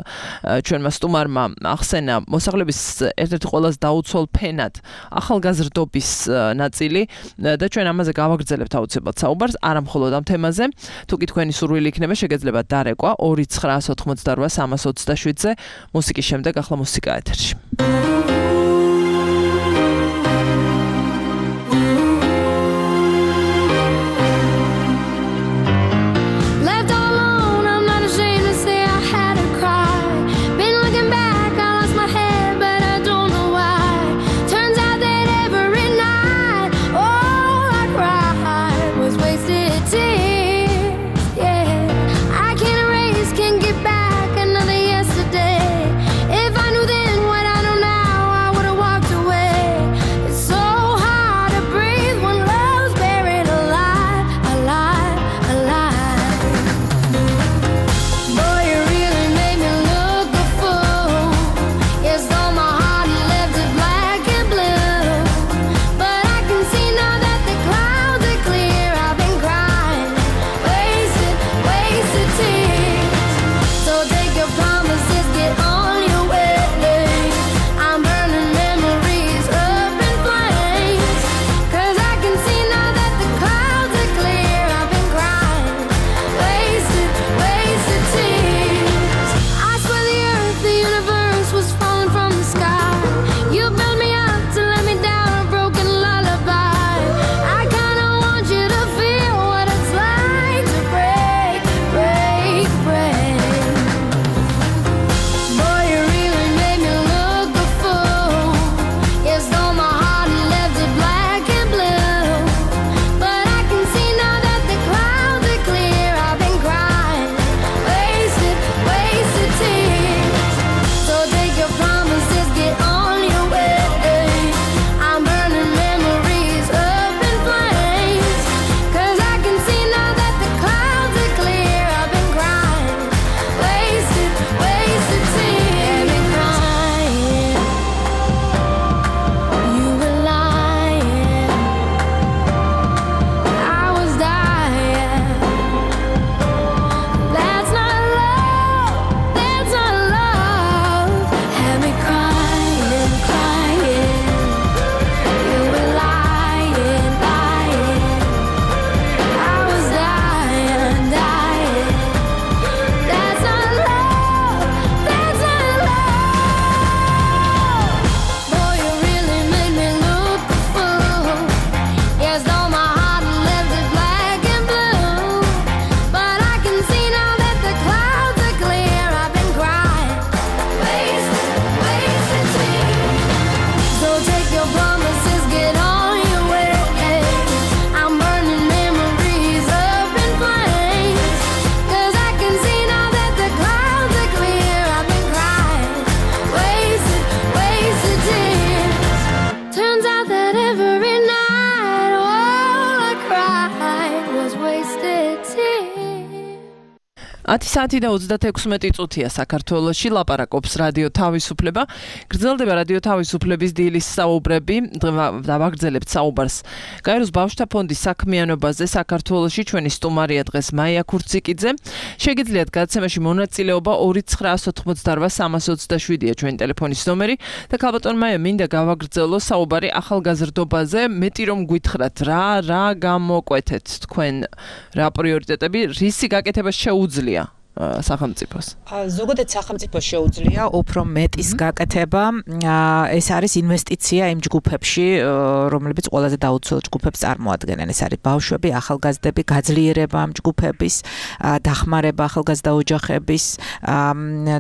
ჩვენმა სტუმარმა ახსენა მოსახლეობის ერთ-ერთი ყველაზე დაუცველ ფენად ახალგაზრდობის ნაწილი და ჩვენ ამაზე გავაგრძელებთ აუცილებლად საუბარს, არა მხოლოდ ამ თემაზე. თუკი თქვენი სურვილი იქნება, შეგეძლებათ დარეკვა 2988-327-ზე. მუსიკის შემდეგ ახლა მუსიკა ეთერში. If I knew then what I know now, 10 საათი და 36 წუთია საქართველოში ლაპარაკობს რადიო თავისუფლება. გრძელდება რადიო თავისუფლების დილის საუბრები. დავაგრძელებთ საუბარს გაეროს ბავშვთა ფონდის საქმიანობაზე საქართველოში. ჩვენი სტუმარია დღეს მაია ქურციკიძე. შეგიძლიათ გადაცემაში მონაწილეობა 2988327-ია ჩვენი ტელეფონის ნომერი და ქალბატონ მაია მინდა გავაგრძელო საუბარი ახალგაზრდობაზე. მეტი რომ გითხრათ რა გამოკვეთეთ თქვენ რა პრიორიტეტები რისი გაკეთება შეუძლია სახელმწიფოს. ზოგადად სახელმწიფოს შეუძლია უფრო მეტის გაკეთება. ეს არის ინვესტიცია იმ ჯგუფებში, რომლებიც ყველაზე დაუცველ ჯგუფებს წარმოადგენენ. ეს არის ბავშვები, ახალგაზრდები, გაძლიერება ამ ჯგუფების, დახმარება ახალგაზრდა ოჯახების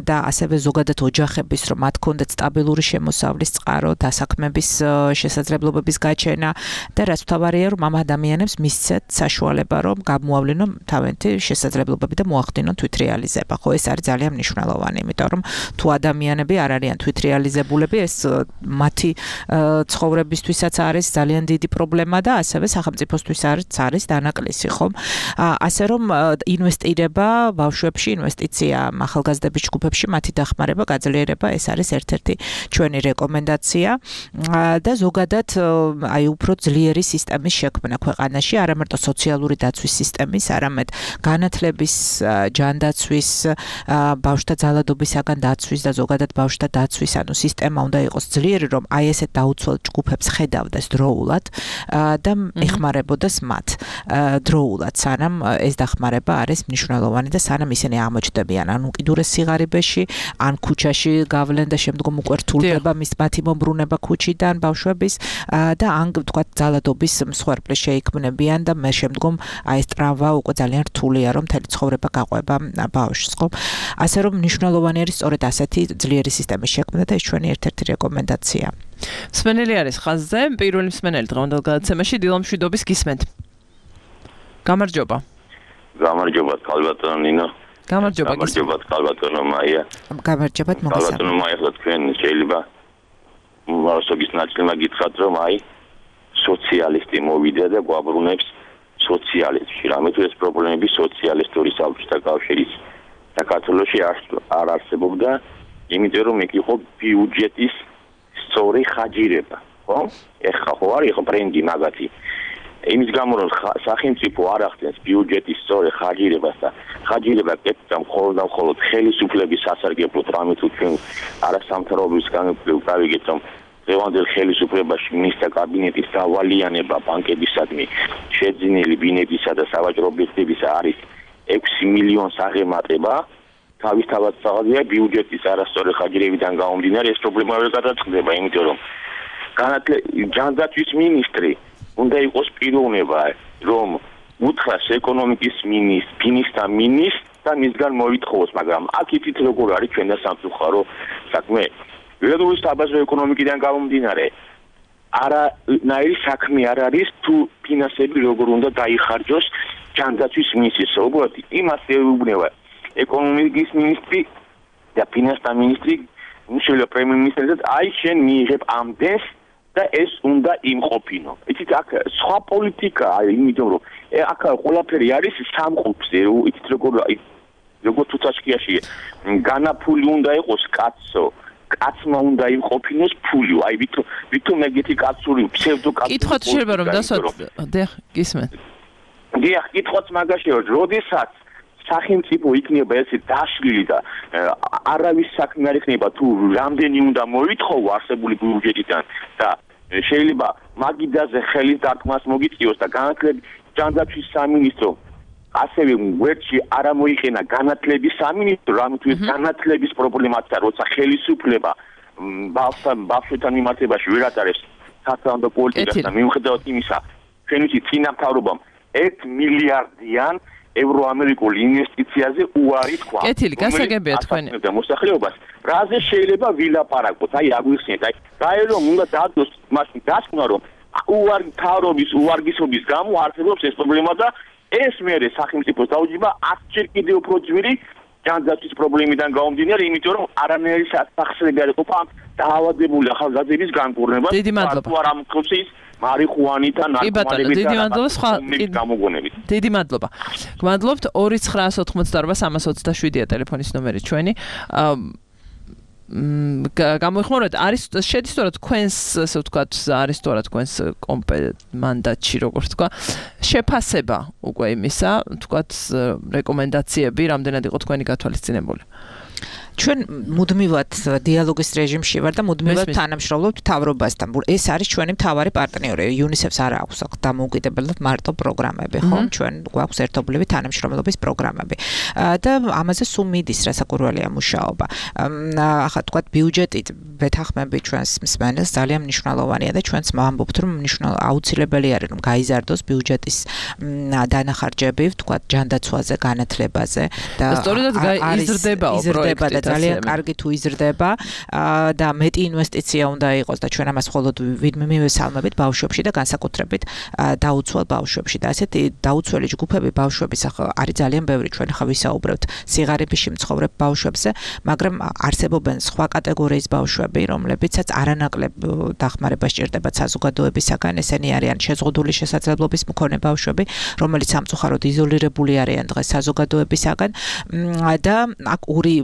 და ასევე ზოგადად ოჯახების, რომ მათ კონდეთ სტაბილური შემოსავლის წყარო, დასაქმების შესაძლებლობების გაჩენა და რაც მთავარია, რომ ამ ადამიანებს მისცეთ საშუალება, რომ გამოავლინონ თავიანთი შესაძლებლობები და მოახდინონ თვითრეალიზება. ხო, ეს არის ძალიან მნიშვნელოვანი, იმიტომ რომ თუ ადამიანები არ არიან თვითრეალიზებულები, ეს მათი ცხოვრებისთვისაც არის ძალიან დიდი პრობლემა და ასევე სახელმწიფოსთვის არის დანაკლისი, ხომ? ასე რომ ინვესტირება ბავშვებში, ინვესტიცია ახალგაზრდების ჯგუფებში, მათი დახმარება, გაძლიერება, ეს არის ერთ-ერთი ჩვენი რეკომენდაცია და ზოგადად აი უფრო ძლიერი სისტემის შექმნა ქვეყანაში, არა მარტო სოციალური დაცვის სისტემის, არამედ განათლების ჯანდაცვის ბავშვთა ძალადობისაგან დაცვის და ზოგადად ბავშვთა დაცვის ანუ სისტემა უნდა იყოს ძლიერი, რომ აი ესეთ დაუცველ ჯგუფებს ხედავდეს დროულად და ეხმარებოდეს მათ დროულად, სანამ ეს დახმარება არის მნიშვნელოვანი და სანამ ისინი აღმოჩნდებიან ან უკიდურეს სიღარიბეში, ან ქუჩაში გავლენ და შემდგომ უკვე რთულდება მათი მომბრუნება ქუჩიდან ბავშვების და ან თქვა ძალადობის მსხვერპლი შეიქმნებიან და მე შემდგომ აი ეს ტრავმა უკვე ძალიან რთულია, რომ მთელი ცხოვრება გაყვება ბავშვს, ხო? ასე რომ მნიშვნელოვანი არის სწორედ ასეთი ძლიერი სისტემის შექმნა და ეს ჩვენი ერთ-ერთი რეკომენდაცია. მსმენელი არის ხაზზე, პირველი მსმენელი დღევანდელ გადაცემაში დილამშვიდობის გისმენთ. გამარჯობა. გამარჯობა, ქალბატონო ნინო. გამარჯობა, ქალბატონო მაია. გამარჯობა, მოგესალმებით. ქალბატონო მაია, თქვენ შეიძლება მოსოგის ნაწილმა გითხრათ, რომ აი სოციალისტი მოვიდა და გვაბრუნებს სოციალიზმში. რამე თუ ეს პრობლემები სოციალისტური საბჭოთა კავშირის საქართველოში არ არსებობდა, იმიტომ რომ ეგ იყო ბიუჯეტის სწორი ხაჯირება, ხო? ეხლა ხო არის ხო ბრენდი მაგათი. იმის გამო რომ სახელმწიფო არ ახდენს ბიუჯეტის სწორი ხაჯირებას და ხაჯირება კეთდა მხოლოდ ხელისუფლების სასარგებლოდ, რამე თუ ჩვენ არასამთავრობოების გავიგეთ, რომ დღევანდელ ხელისუფლებაში მინისტრთა კაბინეტის დავალიანება ბანკებისადმი შეძინილი ბინებისა და სავაჭრო ობიექტებისა არის 6 მილიონს აღემატება. თავისთავად სწავლია ბიუჯეტის არასწორი ხაჯირებიდან გამომდინარე ეს პრობლემა ვერ გადაწყდება, იმიტომ რომ ჯანდაცვის მინისტრი უნდა იყოს პიროვნება, რომ უთხრას ეკონომიკის მინისტრს და მინისტრს მისგან მოითხოვოს, მაგრამ აქ იცით როგორ არის ჩვენ და სამწუხარო საქმე. ველური საბაზრო ეკონომიკიდან გამომდინარე არანაირი საქმე არ არის თუ ფინანსები როგორ უნდა დაიხარჯოს ჯანდაცვის მინისტრის, როგორც იმას ეუბნება ეკონომიკის მინისტრი და ფინანსთა მინისტრი, მიშელა პრემიერ-მინისტრად, აი შენ მიიღებ ამდენს და ეს უნდა იმყოფინო. იცით აქ სხვა პოლიტიკაა, იმიტომ რომ აქ ყველაფერი არის სამყოფზე, იცით როგორ თუთაშკიაში განაფული უნდა იყოს კაცო. კაცმა უნდა იმყოფინოს ფული, აი ვითომ ეგეთი კაცური ფსევდოკაცური. კითხვაც შეიძლება რომ დასვათ, გისმენთ. დიახ, კითხვაც მაგაშია, როდესაც სახელმწიფო იქნება ესე დაშლილი და არავის საქმე არ იქნება თუ რამდენი უნდა მოითხოვო არსებული ბიუჯეტიდან და შეიძლება მაგიდაზე ხელის დარტყმას მოგიწიოს და განათლების ჯანდაცვის სამინისტრო ასევე ვერჩი არ მოიყენა განათლების სამინისტრო, რამე თუ ეს განათლების პრობლემაა, როცა ხელისუფლება ბავშვებთან მიმართებაში ვერ ატარებს სასწავლო პოლიტიკას და მიუხედავად იმისა, ჩვენ ვიცით წინა მთავრობამ 1 მილიარდიან ევროამერიკულ ინვესტიციაზე უარი თქვა. კეთილი, გასაგებია თქვენი. და მოსახლეობას რაზე შეიძლება ვილაპარაკოთ? აი აგვიხსენეთ, აი გაერომ უნდა დადოს მაშინ დასკვნა, რომ უარი მთავრობის უარგისობის გამო არსებობს ეს პრობლემა და ეს მერე სახელმწიფოს დაუჯება 10 ჯერ კიდევ უფრო ძვირი ჯანდაცვის პრობლემიდან გამომდინარე, იმიტომ რომ არანაირი სახსრები არ იყოფა დაავადებული ახალგაზრდების განკურნებას. დიდი მადლობა. თუ არ ამკრობს ის მარიხუანი და ნარკომანები დიდი მადლობა სხვა გამოგონებით. დიდი მადლობა. გმადლობთ 299202327-ია ტელეფონის ნომერი ჩვენი. გამოიხმაროთ არის შედის თორე თქვენს ასე ვთქვათ არის თორე თქვენს მანდატში როგორ თქვა შეფასება უკვე იმისა ვთქვათ რეკომენდაციები რამდენად იყო თქვენი გათვალისწინებული ჩვენ მუდმივად დიალოგის რეჟიმში ვარ და მუდმივად თანამშრომლობთ მთავრობასთან. ეს არის ჩვენი მთავარი პარტნიორი. UNICEF-ს არ აქვს დამოუკიდებლად მარტო პროგრამები, ხო? ჩვენ გვაქვს ერთობლივი თანამშრომლობის პროგრამები. და ამაზე სულ მიდის რასაკვირველია მუშაობა. ახლა თქვა ბიუჯეტით ვეთანხმები ჩვენს მსმენელს ძალიან მნიშვნელოვანია და ჩვენც ვამბობთ რომ აუცილებელი არის რომ გაიზარდოს ბიუჯეტის დანახარჯები, თქვა ჯანდაცვაზე, განათლებაზე და სწორედ იზრდებაო პროექტი ძალიან კარგი თუ იზრდება და მეტი ინვესტიცია უნდა იყოს და ჩვენ ამას მხოლოდ მივესალმებით ბავშვებში და განსაკუთრებით დაუცველ ბავშვებში და ასეთი დაუცველი ჯგუფები ბავშვების ახლა არის ძალიან ბევრი ჩვენ ახლა ვისაუბრებთ სიღარიბეში მცხოვრებ ბავშვებზე მაგრამ არსებობენ სხვა კატეგორიის ბავშვები რომლებიცაც არანაკლებ დახმარებას სჭირდებათ საზოგადოებისაგან ესენი არიან შეზღუდული შესაძლებლობის მქონე ბავშვები რომელიც სამწუხაროდ იზოლირებული არიან დღეს საზოგადოებისაგან და აქ ორი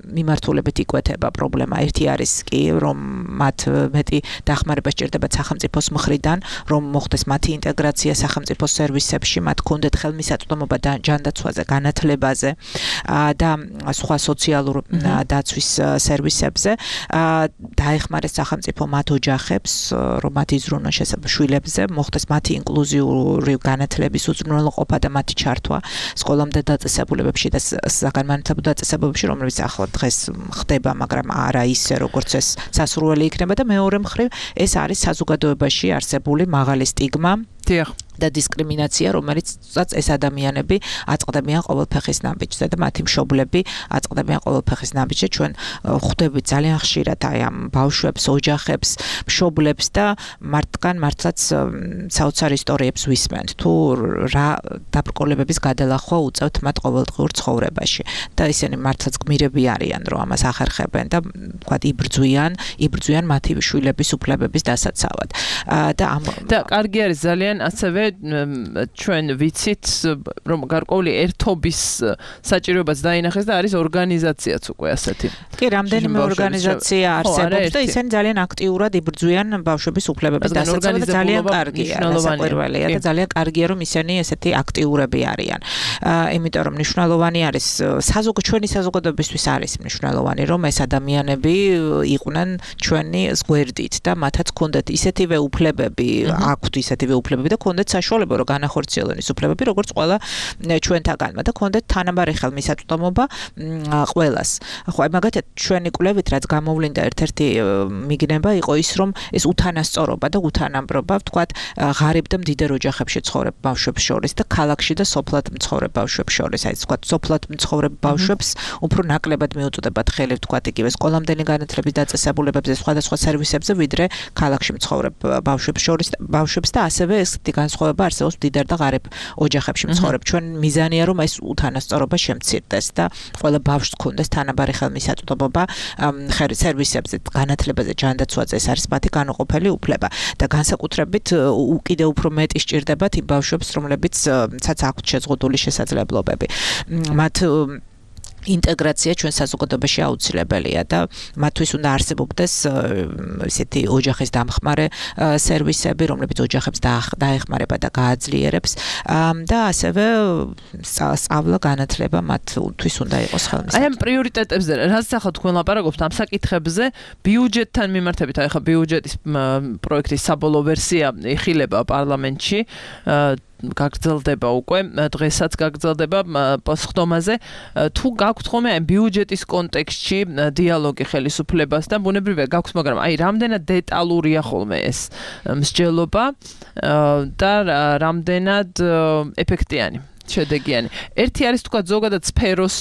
მიმართულებით იკვეთება პრობლემა. ერთი არის კი, რომ მათ მეტი დახმარება სჭირდებათ სახელმწიფოს მხრიდან, რომ მოხდეს მათი ინტეგრაცია სახელმწიფო სერვისებში, მათ კონდეთ ხელმისაწვდომობა ჯანდაცვაზე, განათლებაზე და სხვა სოციალურ დაცვის სერვისებზე. დაეხმარეს სახელმწიფო მათ ოჯახებს, რომ მათ იზრუნონ შვილებზე, მოხდეს მათი ინკლუზიური განათლების უზრუნველყოფა და მათი ჩართვა სკოლამდე დაწესებულებებში და საგანმანათლებლო დაწესებულებებში, რომლებიც ახლა დღეს ხდება, მაგრამ არა ისე როგორც ეს სასურველი იქნება და მეორე მხრივ ეს არის საზოგადოებაში არსებული მაღალი სტიგმა და დისკრიმინაცია, რომელიცაც ეს ადამიანები აწყდებიან ყოველფეხის ნაბიჯზე და მათი მშობლები აწყდებიან ყოველფეხის ნაბიჯზე. ჩვენ ხვდებით ძალიან ხშირად აი ამ ბავშვებს, ოჯახებს, მშობლებს და მართლაც საოცარ ისტორიებს ვისმენთ. თუ რა დაბრკოლებების გადალახვა უწევთ მათ ყოველდღიურ ცხოვრებაში და ისინი მართლაც გმირები არიან, რომ ამას ახერხებენ და თქვა იბრძვიან მათი შვილების უფლებების დასაცავად. და კარგი არის ძალიან ასევე ჩვენ ვიცით რომ გარკვეული ერთობის საჭიროებაც დაინახეს და არის ორგანიზაციაც უკვე ასეთი. კი, რამდენიმე ორგანიზაცია არსებობს და ისინი ძალიან აქტიურად იბრძვიან ბავშვების უფლებების დასაცავად და ძალიან კარგია, რასაკვირველია და ძალიან კარგია რომ ისინი ესეთი აქტიურები არიან. იმიტომ რომ მნიშვნელოვანი არის ჩვენი საზოგადოებისთვის არის მნიშვნელოვანი რომ ეს ადამიანები იყვნენ ჩვენი გვერდით და მათაც ქონდეთ ისეთივე უფლებები, აქვთ ისეთივე უფლებები და ქონდეთ საშუალება რომ განახორციელონ ის უფლებები როგორც ყველა ჩვენთაგანმა და ქონდეთ თანაბარი ხელმისაწვდომობა ყველას. ხო, მაგათაც ჩვენი კვლევით რაც გამოვლინდა ერთ-ერთი მიგნება იყო ის რომ ეს უთანასწორობა და უთანამბრობა ვთქვათ ღარიბ და მდიდარ ოჯახებში ცხოვრებ ბავშვებს შორის და ქალაქში და სოფლად მცხოვრებ ბავშვებს შორის. აი ვთქვათ სოფლად მცხოვრებ ბავშვებს უფრო ნაკლებად მიუწოდებათ ხელი ვთქვათ იგივე სკოლამდელი განათლების დაწესებულებებზე სხვადასხვა სერვისებზე ვიდრე ქალაქში მცხოვრებ ბავშვებს და ასევე ესეთი განსხვავება არსებობს მდიდარ და ღარიბ ოჯახებში მცხოვრებ. ჩვენ მიზანია რომ ეს უთანასწორობა შემცირდეს და ყველა ბავშვს ქონდეს თანაბარი ხელმისაწვდომობა სერვისებზე, განათლებაზე, ჯანდაცვაზე, ეს არის მათი განუყოფელი უფლება და განსაკუთრებით კიდევ უფრო მეტი სჭირდებათ იმ ბავშვებს, რომლებიცაც აქვთ შეზღუდული შესაძლებლობები. მათ ინტეგრაცია ჩვენ საზოგადოებაში აუცილებელია და მათთვის უნდა არსებობდეს ესეთი ოჯახის დამხმარე სერვისები, რომლებიც ოჯახებს დაეხმარება და გააძლიერებს და ასევე სწავლა, განათლება მათთვის უნდა იყოს ხელმისაწვდომი. აი ამ პრიორიტეტებზე, რაც ახლა თქვენ ლაპარაკობთ ამ საკითხებზე, ბიუჯეტთან მიმართებით, აი ხა ბიუჯეტის პროექტის საბოლოო ვერსია იხილება პარლამენტში. გაგრძელდება უკვე დღესაც გაგრძელდება პასუხდომაზე თუ გაქვთ ხოლმე აი ბიუჯეტის კონტექსტში დიალოგი ხელისუფლებასთან ბუნებრივია გაქვთ მაგრამ აი რამდენად დეტალურია ხოლმე ეს მსჯელობა და რამდენად ეფექტიანი შედეგიანი. ერთი არის თქვა ზოგადად სფეროს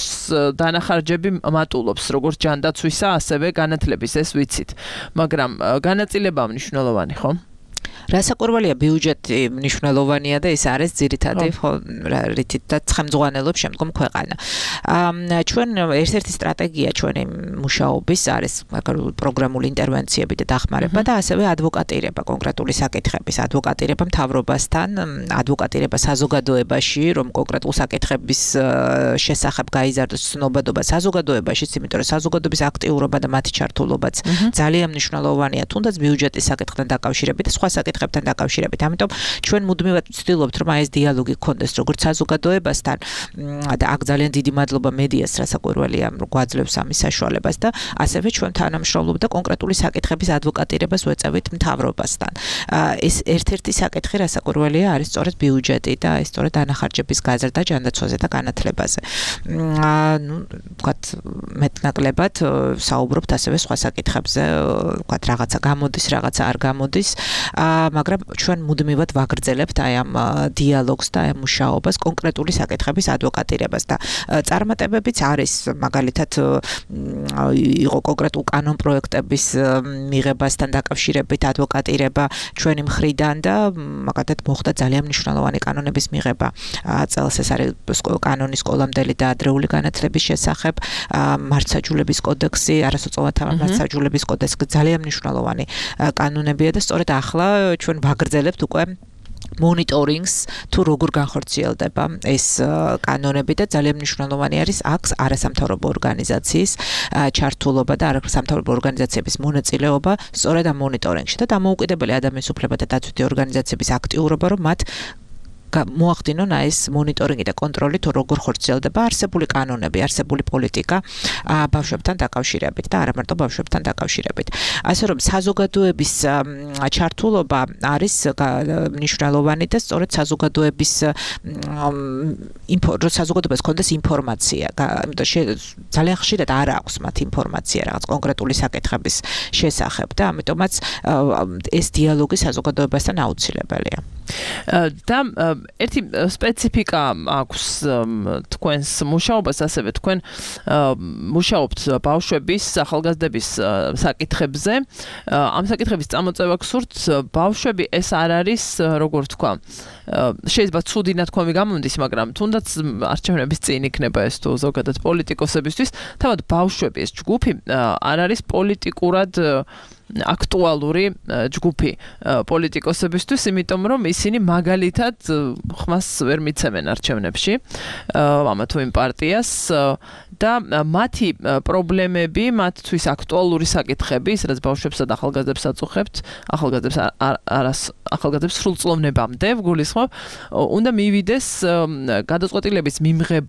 დანახარჯები მატულობს როგორც ჯანდაცვისა ასევე განათლების ეს ვიცით მაგრამ განაწილება მნიშვნელოვანი ხო? რასაკვირველია ბიუჯეტი მნიშვნელოვანია და ეს არის ძირითადი რითიც და ცხამძღვანელობს შემდგომ ქვეყანა. ჩვენ ერთ-ერთი სტრატეგია ჩვენი მუშაობის არის პროგრამული ინტერვენციები და დახმარება და ასევე ადვოკატირება კონკრეტული საკითხების ადვოკატირება მთავრობასთან, ადვოკატირება საზოგადოებაში, რომ კონკრეტულ საკითხების შესახებ გაიზარდოს ცნობადობა საზოგადოებაშიც, იმიტომ რომ საზოგადოების აქტიურობა და მათი ჩართულობაც ძალიან მნიშვნელოვანია, თუნდაც ბიუჯეტის საკითხთან დაკავშირებით და სხვა საკითხებთან დაკავშირებით. ამიტომ ჩვენ მუდმივად ვცდილობთ, რომ ეს დიალოგი გქონდეს როგორც საზოგადოებასთან და აქ ძალიან დიდი მადლობა მედიას რასაკვირველია, რომ გვაძლევს ამის საშუალებას და ასევე ჩვენ თანამშრომლობთ და კონკრეტული საკითხების ადვოკატირებას ვეწევით მთავრობასთან. ეს ერთ-ერთი საკითხი რასაკვირველია არის სწორედ ბიუჯეტი და ეს სწორედ დანახარჯების გაზრდა ჯანდაცვაზე და განათლებაზე. ვთქვათ, მეტნაკლებად საუბრობთ ასევე სხვა საკითხებზე, ვთქვათ, რაღაცა გამოდის, რაღაცა არ გამოდის, მაგრამ ჩვენ მუდმივად ვაგრძელებთ აი ამ დიალოგს და ამ მუშაობას კონკრეტული საკითხების ადვოკატირებას და წარმატებებიც არის, მაგალითად იყო კონკრეტულ კანონ პროექტების მიღებასთან დაკავშირებით ადვოკატირება ჩვენი მხრიდან და მაგალითად მოხდა ძალიან მნიშვნელოვანი კანონების მიღება. წელს ეს არის კანონის სკოლამდელი და ადრეული განათლების შესახებ, მართლმსაჯულების კოდექსი, არასოწლოვანთა მართლმსაჯულების კოდექსი ძალიან მნიშვნელოვანი კანონებია და სწორედ ახლა ჩვენ ვაგრძელებთ უკვე მონიტორინგს თუ როგორ განხორციელდება ეს კანონები და ძალიან მნიშვნელოვანი არის აქ არასამთავრობო ორგანიზაციის ჩართულობა და არასამთავრობო ორგანიზაციების მონაწილეობა სწორედ ამ მონიტორინგში და დამოუკიდებელი ადამიანის უფლებათა დაცვითი ორგანიზაციების აქტიურობა, რომ მათ მოახდინონ ეს მონიტორინგი და კონტროლი თუ როგორ ხორციელდება არსებული კანონები, არსებული პოლიტიკა ბავშვებთან დაკავშირებით და არა მარტო ბავშვებთან დაკავშირებით. ასე რომ საზოგადოების ჩართულობა არის მნიშვნელოვანი და სწორედ საზოგადოების საზოგადოებას კონდეს ინფორმაცია, იმიტომ ძალიან ხშირად არ აქვს მათ ინფორმაცია რაღაც კონკრეტული საკითხების შესახებ და ამიტომაც ეს დიალოგი საზოგადოებასთან აუცილებელია. და ერთი სპეციფიკა აქვს თქვენს მუშაობას, ასევე თქვენ მუშაობთ ბავშვების, ახალგაზრდების საკითხებზე. ამ საკითხების წამოწევა გსურთ, ბავშვები ეს არ არის, როგორ თქვა, შეიძლება ცუდი ნათქვამი გამომდის, მაგრამ თუნდაც არჩევნების წინ იქნება ეს თუ ზოგადად პოლიტიკოსებისთვის, თავად ბავშვები ეს ჯგუფი არ არის პოლიტიკურად აქტუალური ჯგუფი პოლიტიკოსებისთვის, იმიტომ რომ ისინი მაგალითად ხმას ვერ მიცემენ არჩევნებში ამა თუ იმ პარტიას და მათი პრობლემები, მათთვის აქტუალური საკითხები, სადაც ბავშვებსა და ახალგაზრდებს აწუხებთ, ახალგაზრდებს სრულწლოვნებამდე ვგულისხმობ, უნდა მივიდეს გადაწყვეტილების მიმღებ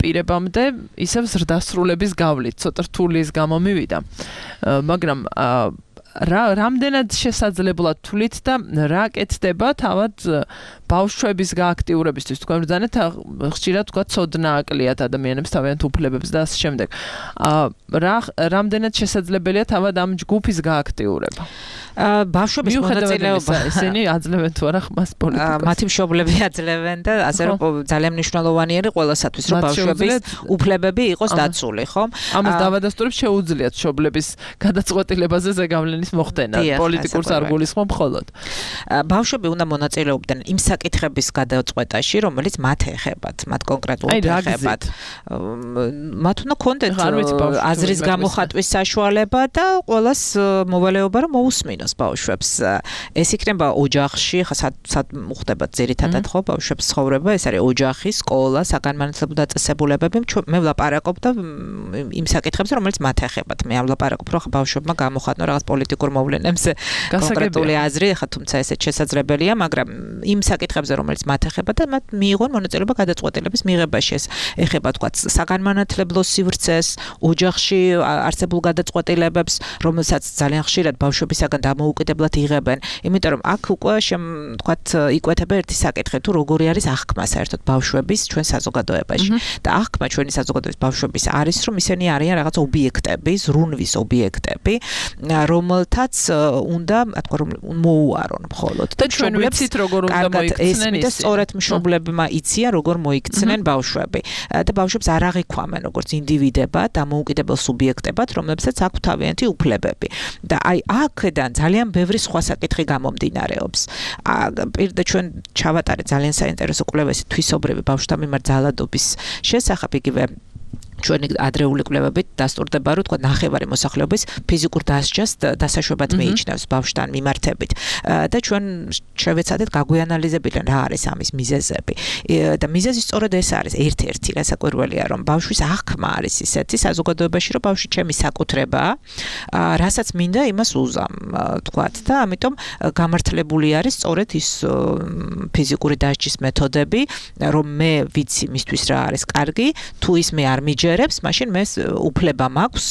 პირებამდე ისევ ზრდასრულების გავლით, ცოტა რთული ის გამო მივიდა. მაგრამ რამდენად შესაძლებლად თვლით და რა კეთდება თავად ბავშვების გააქტიურებისთვის? თქვენ ბრძანეთ ხშირად თქვა ცოდნა აკლიათ ადამიანებს თავიანთ უფლებებს და ასე შემდეგ. რამდენად შესაძლებელია თავად ამ ჯგუფის გააქტიურება? ბავშვების მონაწილეობა ისინი აძლევენ თუ არა ხმას პოლიტიკას? მათი მშობლები აძლევენ და ასე რომ ძალიან მნიშვნელოვანი არის ყველასათვის, რომ ბავშვების უფლებები იყოს დაცული, ხო? ამას დავადასტურებ, შეუძლიათ მშობლების გადაწყვეტილებაზე ზეგავლენის მოხდენა, პოლიტიკურს არ გულისხმობ მხოლოდ. ბავშვები უნდა მონაწილეობდნენ იმ საკითხების გადაწყვეტაში, რომელიც მათ ეხებათ, მათ კონკრეტულად ეხებათ. მათ უნდა ქონდეთ აზრის გამოხატვის საშუალება და ყველას მოვალეობა, რომ მოусმინოს ბავშვებს. ეს იქნება ოჯახში, სად მოხდება ძირითადად ხო ბავშვებს ცხოვრება, ეს არის ოჯახი, სკოლა, საგანმანათლებლო დაწესებულებები. მე ვლაპარაკობ და იმ საკითხებზე, რომელიც მათ ეხებათ. მე არ ვლაპარაკობ, რომ ბავშვებმა გამოხატნონ რაღაც პოლიტიკურ მოვლენებზე კონკრეტული აზრი, ხა თუმცა ესეც შესაძლებელია, მაგრამ იმ საკითხებზე, რომელიც მათ ეხება და მათ მიიღონ მონაწილეობა გადაწყვეტილების მიღებაში. ეს ეხება თქვა საგანმანათლებლო სივრცეს, ოჯახში არსებულ გადაწყვეტილებებს, რომელსაც ძალიან ხშირად ბავშვებისაგან დამოუკიდებლად იღებენ. იმიტომ რომ აქ უკვე თქვა იკვეთება ერთი საკითხი, თუ როგორი არის აღქმა საერთოდ ბავშვების ჩვენ საზოგადოებაში. და აღქმა ჩვენი საზოგადოების ბავშვების არის, რომ ისინი არიან რაღაც ობიექტები, ზრუნვის ობიექტები, რომელთაც უნდა თქვა რომ მოუარონ მხოლოდ და ჩვენ ვიცით როგორ უნდა მოიქცნენ და სწორედ მშობლებმა იციან როგორ მოიქცნენ ბავშვები და ბავშვებს არ აღიქვამენ როგორც ინდივიდებად და მოუკიდებელ სუბიექტებად, რომლებსაც აქვს თავიანთი უფლებები. და აი აქედან ძალიან ბევრი სხვა საკითხი გამომდინარეობს. პირდა ჩვენ ჩავატარეთ ძალიან საინტერესო კვლევები თვისობრივი ბავშვთა მიმართ ძალადობის შესახებ იგივე ჩვენი ადრეული კვლევებით დასტურდება, რომ თქვა ნახევარი მოსახლეობის ფიზიკურ დასჯას დასაშვებად მიიჩნევს ბავშვთან მიმართებით. და ჩვენ შევეცადეთ გაგვიანალიზებიდნენ რა არის ამის მიზეზები. და მიზეზი სწორედ ეს არის, ერთ-ერთი რასაკვირველია, რომ ბავშვის აღქმა არის ისეთი საზოგადოებაში, რომ ბავშვი ჩემი საკუთრებაა, რასაც მინდა იმას უზამ, თქვათ და ამიტომ გამართლებული არის სწორედ ის ფიზიკური დასჯის მეთოდები, რომ მე ვიცი მისთვის რა არის კარგი, თუ ის მე არ მიჯერებს, მაშინ მე უფლება მაქვს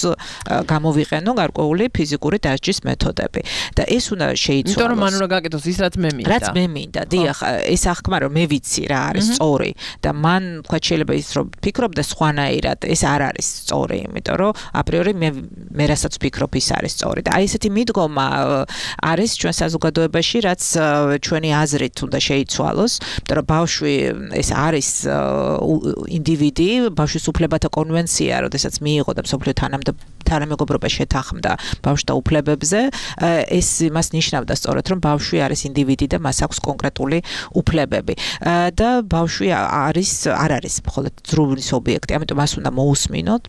გამოვიყენო გარკვეული ფიზიკური დასჯის მეთოდები. და ეს უნდა შეიცვალოს. იმიტომ რომ მან უნდა გაკეთოს ის რაც მე მინდა. რაც მე მინდა. დიახ, ეს აღქმა რომ მე ვიცი რა არის სწორი და მან თქვა შეიძლება ის რომ ფიქრობდა სხვანაირად, ეს არ არის სწორი, იმიტომ რომ აპრიორი მე რასაც ვფიქრობ ის არის სწორი. და აი ესეთი მიდგომა არის ჩვენ საზოგადოებაში, რაც ჩვენი აზრით უნდა შეიცვალოს, იმიტომ რომ ბავშვი ეს არის ინდივიდი, ბავშვის უფლებათა კონვენცია, როდესაც მიიღო და მსოფლიო თანამეგობრობა შეთანხმდა ბავშვთა უფლებებზე, ეს იმას ნიშნავდა სწორედ, რომ ბავშვი არის ინდივიდი და მას აქვს კონკრეტული უფლებები. და ბავშვი არ არის მხოლოდ ძრუვის ობიექტი, ამიტომ მას უნდა მოусმინოთ,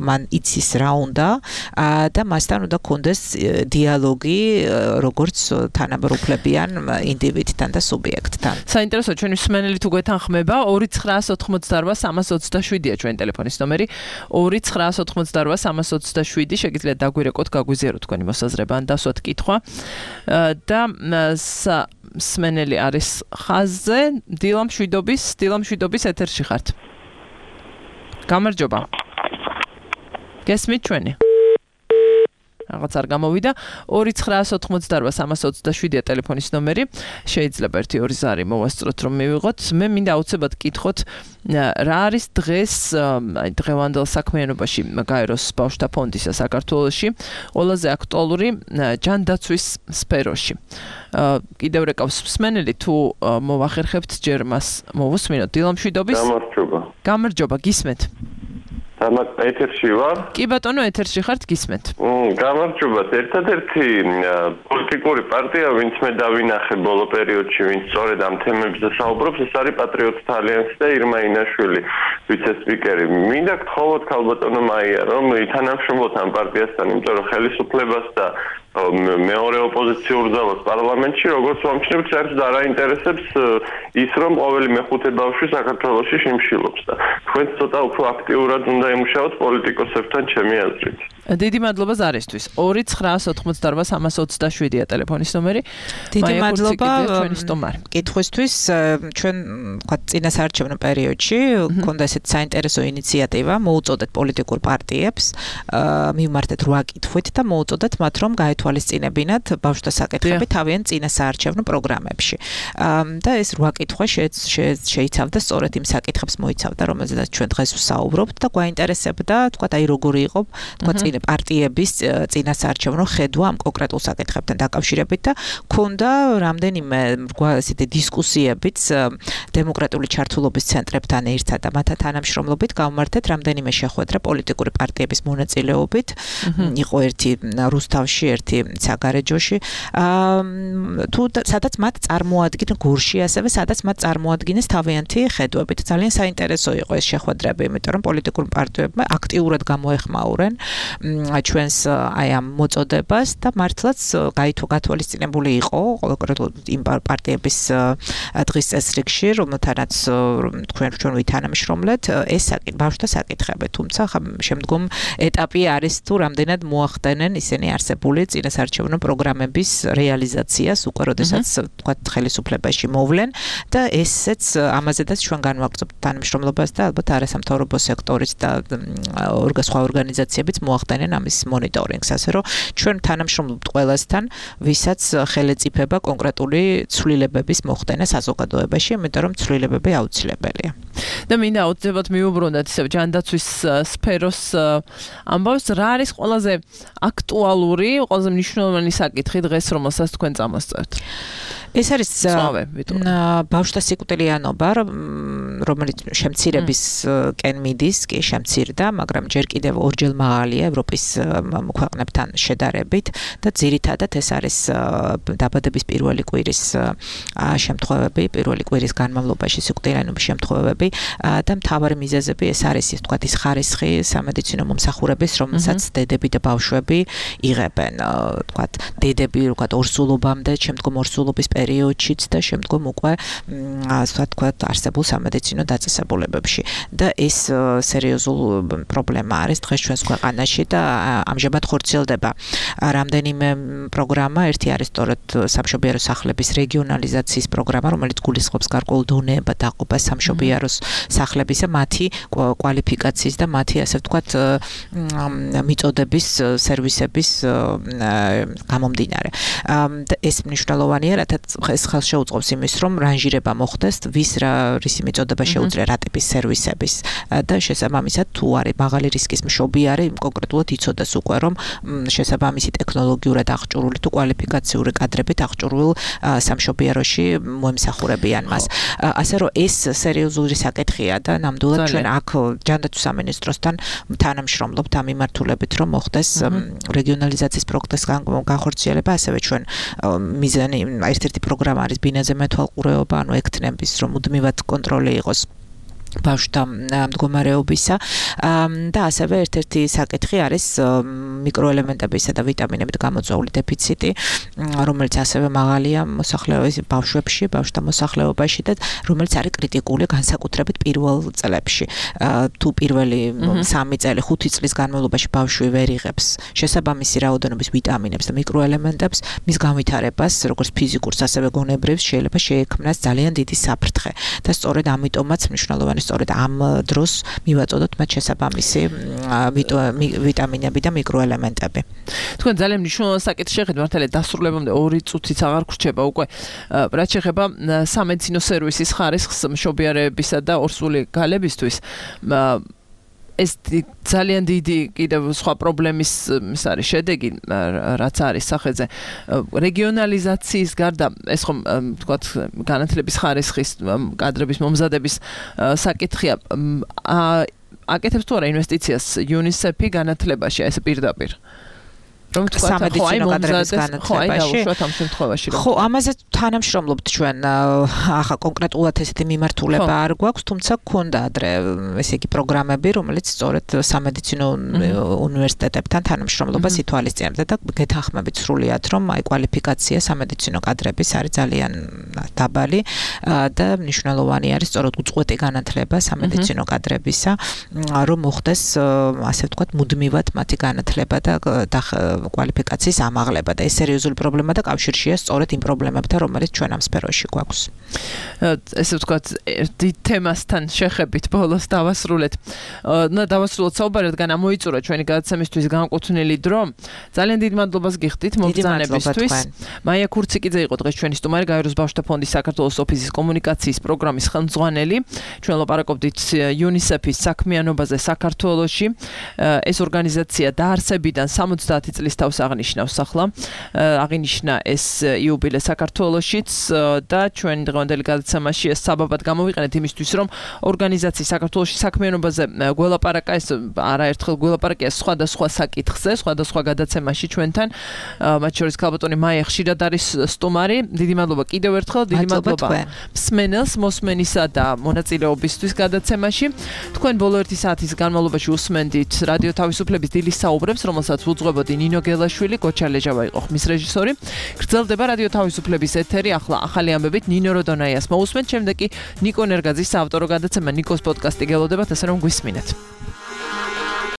მან იცის რა უნდა და მასთან უნდა კონდეს დიალოგი, როგორც თანამედროვლებიან ინდივიდთან და სუბიექტთან. საინტერესო, ჩვენი მსმენელი თუ გვეთანხმება 2988327-ია ჩვენი ტელეფონის ნომერი 2988327 შეგიძლიათ დაგვირეკოთ, გაგვიზიაროთ თქვენი მოსაზრება ან დასვათ კითხვა და მსმენელი არის ხაზზე დილამშვიდობის ეთერში ხართ. გამარჯობა. გესმით ჩვენი? რაღაც არ გამოვიდა 2988327-ია ტელეფონის ნომერი. შეიძლება 1-2 ზარი მოვასწროთ რომ მივიღოთ. მე მინდა აუცილებლად კითხოთ რა არის დღეს დღევანდელ საქმიანობაში გაეროს ბავშვთა ფონდისა საქართველოში ყველაზე აქტუალური ჯანდაცვის სფეროში. კიდევ რეკავს მსმენელი თუ მოვახერხებთ ჯერ მას მოვუსმინოთ. დილამშვიდობის. გამარჯობა, გისმენთ. ეთერში ვარ? კი ბატონო, ეთერში ხართ, გისმენთ. გამარჯობა, ერთადერთი პოლიტიკური პარტია, ვინც მე დავინახე ბოლო პერიოდში, ვინც სწორედ ამ თემებზე საუბრობს, ეს არის პატრიოტთა ალიანსი და ირმა ინაშვილი, ვიცე-სპიკერი. მინდა გთხოვოთ ქალბატონო მაია, რომ ითანამშრომლოთ ამ პარტიასთან, იმიტომ რომ ხელისუფლებას და მეორე ოპოზიციურ ძალას პარლამენტში, როგორც ვამჩნევთ, საერთოდ არ აინტერესებს ის, რომ ყოველი მეხუთე ბავშვი საქართველოში შიმშილობს და თქვენ ცოტა უფრო აქტიურად უნდა ემუშაოთ პოლიტიკოსებთან, ჩემი აზრით. დიდი მადლობა ზარისთვის. 2988327-ია ტელეფონის ნომერი. დიდი მადლობა კითხვისთვის. ჩვენ თქვა წინასაარჩევნო პერიოდში გქონდა ესეთ საინტერესო ინიციატივა, მოუწოდეთ პოლიტიკურ პარტიებს, მივმართეთ 8 კითხვით და მოუწოდეთ მათ, რომ გაეთვალისწინებინათ ბავშვთა საკითხები თავიანთ წინასაარჩევნო პროგრამებში. და ეს 8 კითხვა შეიცავდა სწორედ იმ საკითხებს მოიცავდა, რომელზედაც ჩვენ დღეს ვსაუბრობთ და გვაინტერესებდა, თქვა აი როგორი იყო, თქვა პარტიების წინასაარჩევნო ხედვა ამ კონკრეტულ საკითხებთან დაკავშირებით და ქონდა რამდენიმე ესეთი დისკუსიებიც დემოკრატიული ჩართულობის ცენტრებთან ერთად და მათთან თანამშრომლობით გავმართეთ რამდენიმე შეხვედრა პოლიტიკური პარტიების მონაწილეობით. იყო ერთი რუსთავში, ერთი საგარეჯოში. თუ სადაც მათ წარმოადგენენ გურში, ასევე სადაც მათ წარმოადგენეს თავიანთი ხედვებით. ძალიან საინტერესო იყო ეს შეხვედრები, იმიტომ რომ პოლიტიკურ პარტიებმა აქტიურად გამოეხმაურენ ჩვენს აი ამ მოწოდებას და მართლაც გათვალისწინებული იყო იმ პარტიების დღის წესრიგში, რომელთანაც ჩვენ ვითანამშრომლეთ ეს ბავშვთა საკითხები. თუმცა შემდგომ ეტაპი არის თუ რამდენად მოახდენენ ისინი არსებული წინასაარჩევნო პროგრამების რეალიზაციას, უკვე როდესაც თქვა ხელისუფლებაში მოვლენ და ესეც ამაზედაც ჩვენ განვაგრძობთ თანამშრომლობას და ალბათ არასამთავრობო სექტორის და სხვა ორგანიზაციებიც მოახდენენ მოხდენენ ამის მონიტორინგს, ასე რომ ჩვენ თანამშრომლობთ ყველასთან, ვისაც ხელეწიფება კონკრეტული ცვლილებების მოხდენა საზოგადოებაში, იმიტომ რომ ცვლილებები აუცილებელია. და მინდა აუცილებლად მიუბრუნდეთ ისევ ჯანდაცვის სფეროს ამბავს, რა არის ყველაზე აქტუალური, ყველაზე მნიშვნელოვანი საკითხი დღეს, რომელსაც თქვენ წამოსწევთ? ეს არის ბავშვთა სიკვდილიანობა, რომელიც შემცირებისკენ მიდის, კი შემცირდა, მაგრამ ჯერ კიდევ ორჯერ მაღალია ევროპის ქვეყნებთან შედარებით და ძირითადად ეს არის დაბადების პირველი კვირის შემთხვევები, პირველი კვირის განმავლობაში სიკვდილიანობის შემთხვევები და მთავარი მიზეზები ეს არის, ის თქვათ, ის ხარისხი სამედიცინო მომსახურების, რომელსაც დედები და ბავშვები იღებენ, თქვათ, დედები, თქვათ, ორსულობამდე, შემდგომ ორსულობის პერიოდშიც და შემდგომ უკვე ასე ვთქვათ არსებულ სამედიცინო დაწესებულებებში და ეს სერიოზული პრობლემა არის დღეს ჩვენს ქვეყანაში და ამჟამად ხორციელდება რამდენიმე პროგრამა, ერთი არის სწორედ სამშობიარო სახლების რეგიონალიზაციის პროგრამა, რომელიც გულისხმობს გარკვეულ დონეებად დაყოფას სამშობიარო სახლებისა, მათი კვალიფიკაციის და მათი ასე ვთქვათ მიწოდების სერვისების გამომდინარე. ეს მნიშვნელოვანია, რადგან ეს ხელს შეუწყობს იმის, რომ რანჟირება მოხდეს, რისი მიწოდება შეუძლია რა ტიპის სერვისების და შესაბამისად თუ არის მაღალი რისკის მშობიარე, კონკრეტულად იცოდეს უკვე, რომ შესაბამისი ტექნოლოგიურად აღჭურვილი თუ კვალიფიკაციური კადრებით აღჭურვილ სამშობიაროში მოემსახურებიან მას. ასე რომ ეს სერიოზული საკითხია და ნამდვილად ჩვენ აქ ჯანდაცვის სამინისტროსთან თანამშრომლობთ ამ მიმართულებით, რომ მოხდეს რეგიონალიზაციის პროექტის განხორციელება, ასევე ჩვენ მიზანი ერთ-ერთი პროგრამა არის ბინაზე მეთვალყურეობა, ანუ ექთნების, რომ მუდმივად კონტროლი იყოს ბავშვთა მდგომარეობისა და ასევე ერთ-ერთი საკითხი არის მიკროელემენტებისა და ვიტამინებით გამოწვეული დეფიციტი, რომელიც ასევე მაღალია მოსახლეობის ბავშვებში, ბავშვთა მოსახლეობაში და რომელიც არის კრიტიკული განსაკუთრებით პირველ წლებში. თუ პირველი 3 წელი, 5 წლის განმავლობაში ბავშვი ვერ იღებს შესაბამისი რაოდენობის ვიტამინებს და მიკროელემენტებს, მის განვითარებას, როგორც ფიზიკურს, ასევე გონებრივს შეიძლება შეექმნას ძალიან დიდი საფრთხე და სწორედ ამიტომაც მნიშვნელოვანი სწორედ ამ დროს მივაწოდოთ მათ შესაბამისი ვიტამინები და მიკროელემენტები. თქვენ ძალიან მნიშვნელოვანი საკითხი შეხედეთ, მართალია დასრულებამდე 2 წუთიც აღარ გრჩება უკვე. რაც შეეხება სამედიცინო სერვისის ხარისხს მშობიარებისა და ორსული გალებისთვის, ეს ძალიან დიდი კიდევ სხვა პრობლემის ის არის შედეგი, რაც არის სახელზე. რეგიონალიზაციის გარდა ეს ხომ თქვათ განათლების ხარისხის კადრების მომზადების საკითხია. აკეთებს თუ არა ინვესტიციას UNICEF-ი განათლებაში, ეს პირდაპირ? რომ თქვა სამედიცინო კადრების განათლებაში. ხო, ამაზე თანამშრომლობთ ჩვენ. ახლა კონკრეტულად ესეთი მიმართულება არ გვაქვს, თუმცა გქონდა ადრე ესე იგი პროგრამები, რომელიც სწორედ სამედიცინო უნივერსიტეტებთან თანამშრომლობას ითვალისწინებდა და გეთანხმებით სრულიად, რომ აი კვალიფიკაცია სამედიცინო კადრების არის ძალიან დაბალი და მნიშვნელოვანი არის სწორედ უწყვეტი განათლება სამედიცინო კადრებისა, რომ მოხდეს ასე ვთქვათ მუდმივად მათი განათლება და კვალიფიკაციის ამაღლება და ეს სერიოზული პრობლემა და კავშირშია სწორედ იმ პრობლემებთან, რომელიც ჩვენ ამ სფეროში გვაქვს. ესე ვთქვათ, ერთ თემასთან შეხებით ბოლოს დავასრულეთ. დავასრულოთ საუბარი, რადგან ამოიწურა ჩვენი გადაცემისთვის განკუთვნილი დრო. ძალიან დიდ მადლობას გიხდით მობრძანებისთვის. მაია ქურციკიძე იყო დღეს ჩვენი სტუმარი, გაეროს ბავშვთა ფონდის საქართველოს ოფისის კომუნიკაციის პროგრამის ხელმძღვანელი. ჩვენ ლაპარაკობდით UNICEF-ის საქმიანობაზე საქართველოში. ეს ორგანიზაცია დაარსებიდან 70 წლის თავს აღნიშნავს ახლა. აღინიშნა ეს იუბილე საქართველოშიც და ჩვენ დღევანდელი გადაცემაში ეს საბაბად გამოვიყენეთ იმისთვის, რომ ორგანიზაციის საქართველოში საქმიანობაზე გველაპარაკა, ეს არაერთხელ გველაპარაკია სხვადასხვა საკითხზე, სხვადასხვა გადაცემაში ჩვენთან. მათ შორის ქალბატონი მაია ხშირად არის სტუმარი. დიდი მადლობა კიდევ ერთხელ, დიდი მადლობა მსმენელს, მოსმენისა და მონაწილეობისთვის გადაცემაში. თქვენ ბოლო 1 საათის განმავლობაში უსმენდით რადიო თავისუფლების დილის საუბრებს, რომელსაც უძღვებოდი ნინო გელაშვილი, გოჩა ლეჟავა იყო ხმის რეჟისორი. გრძელდება რადიო თავისუფლების ეთერი, ახლა ახალი ამბებით ნინო როდონაიას მოусმენთ, შემდეგ კი ნიკო ნერგაძის საავტორო გადაცემა ნიკოს პოდკასტი გელოდებათ, ასე რომ გვისმინეთ.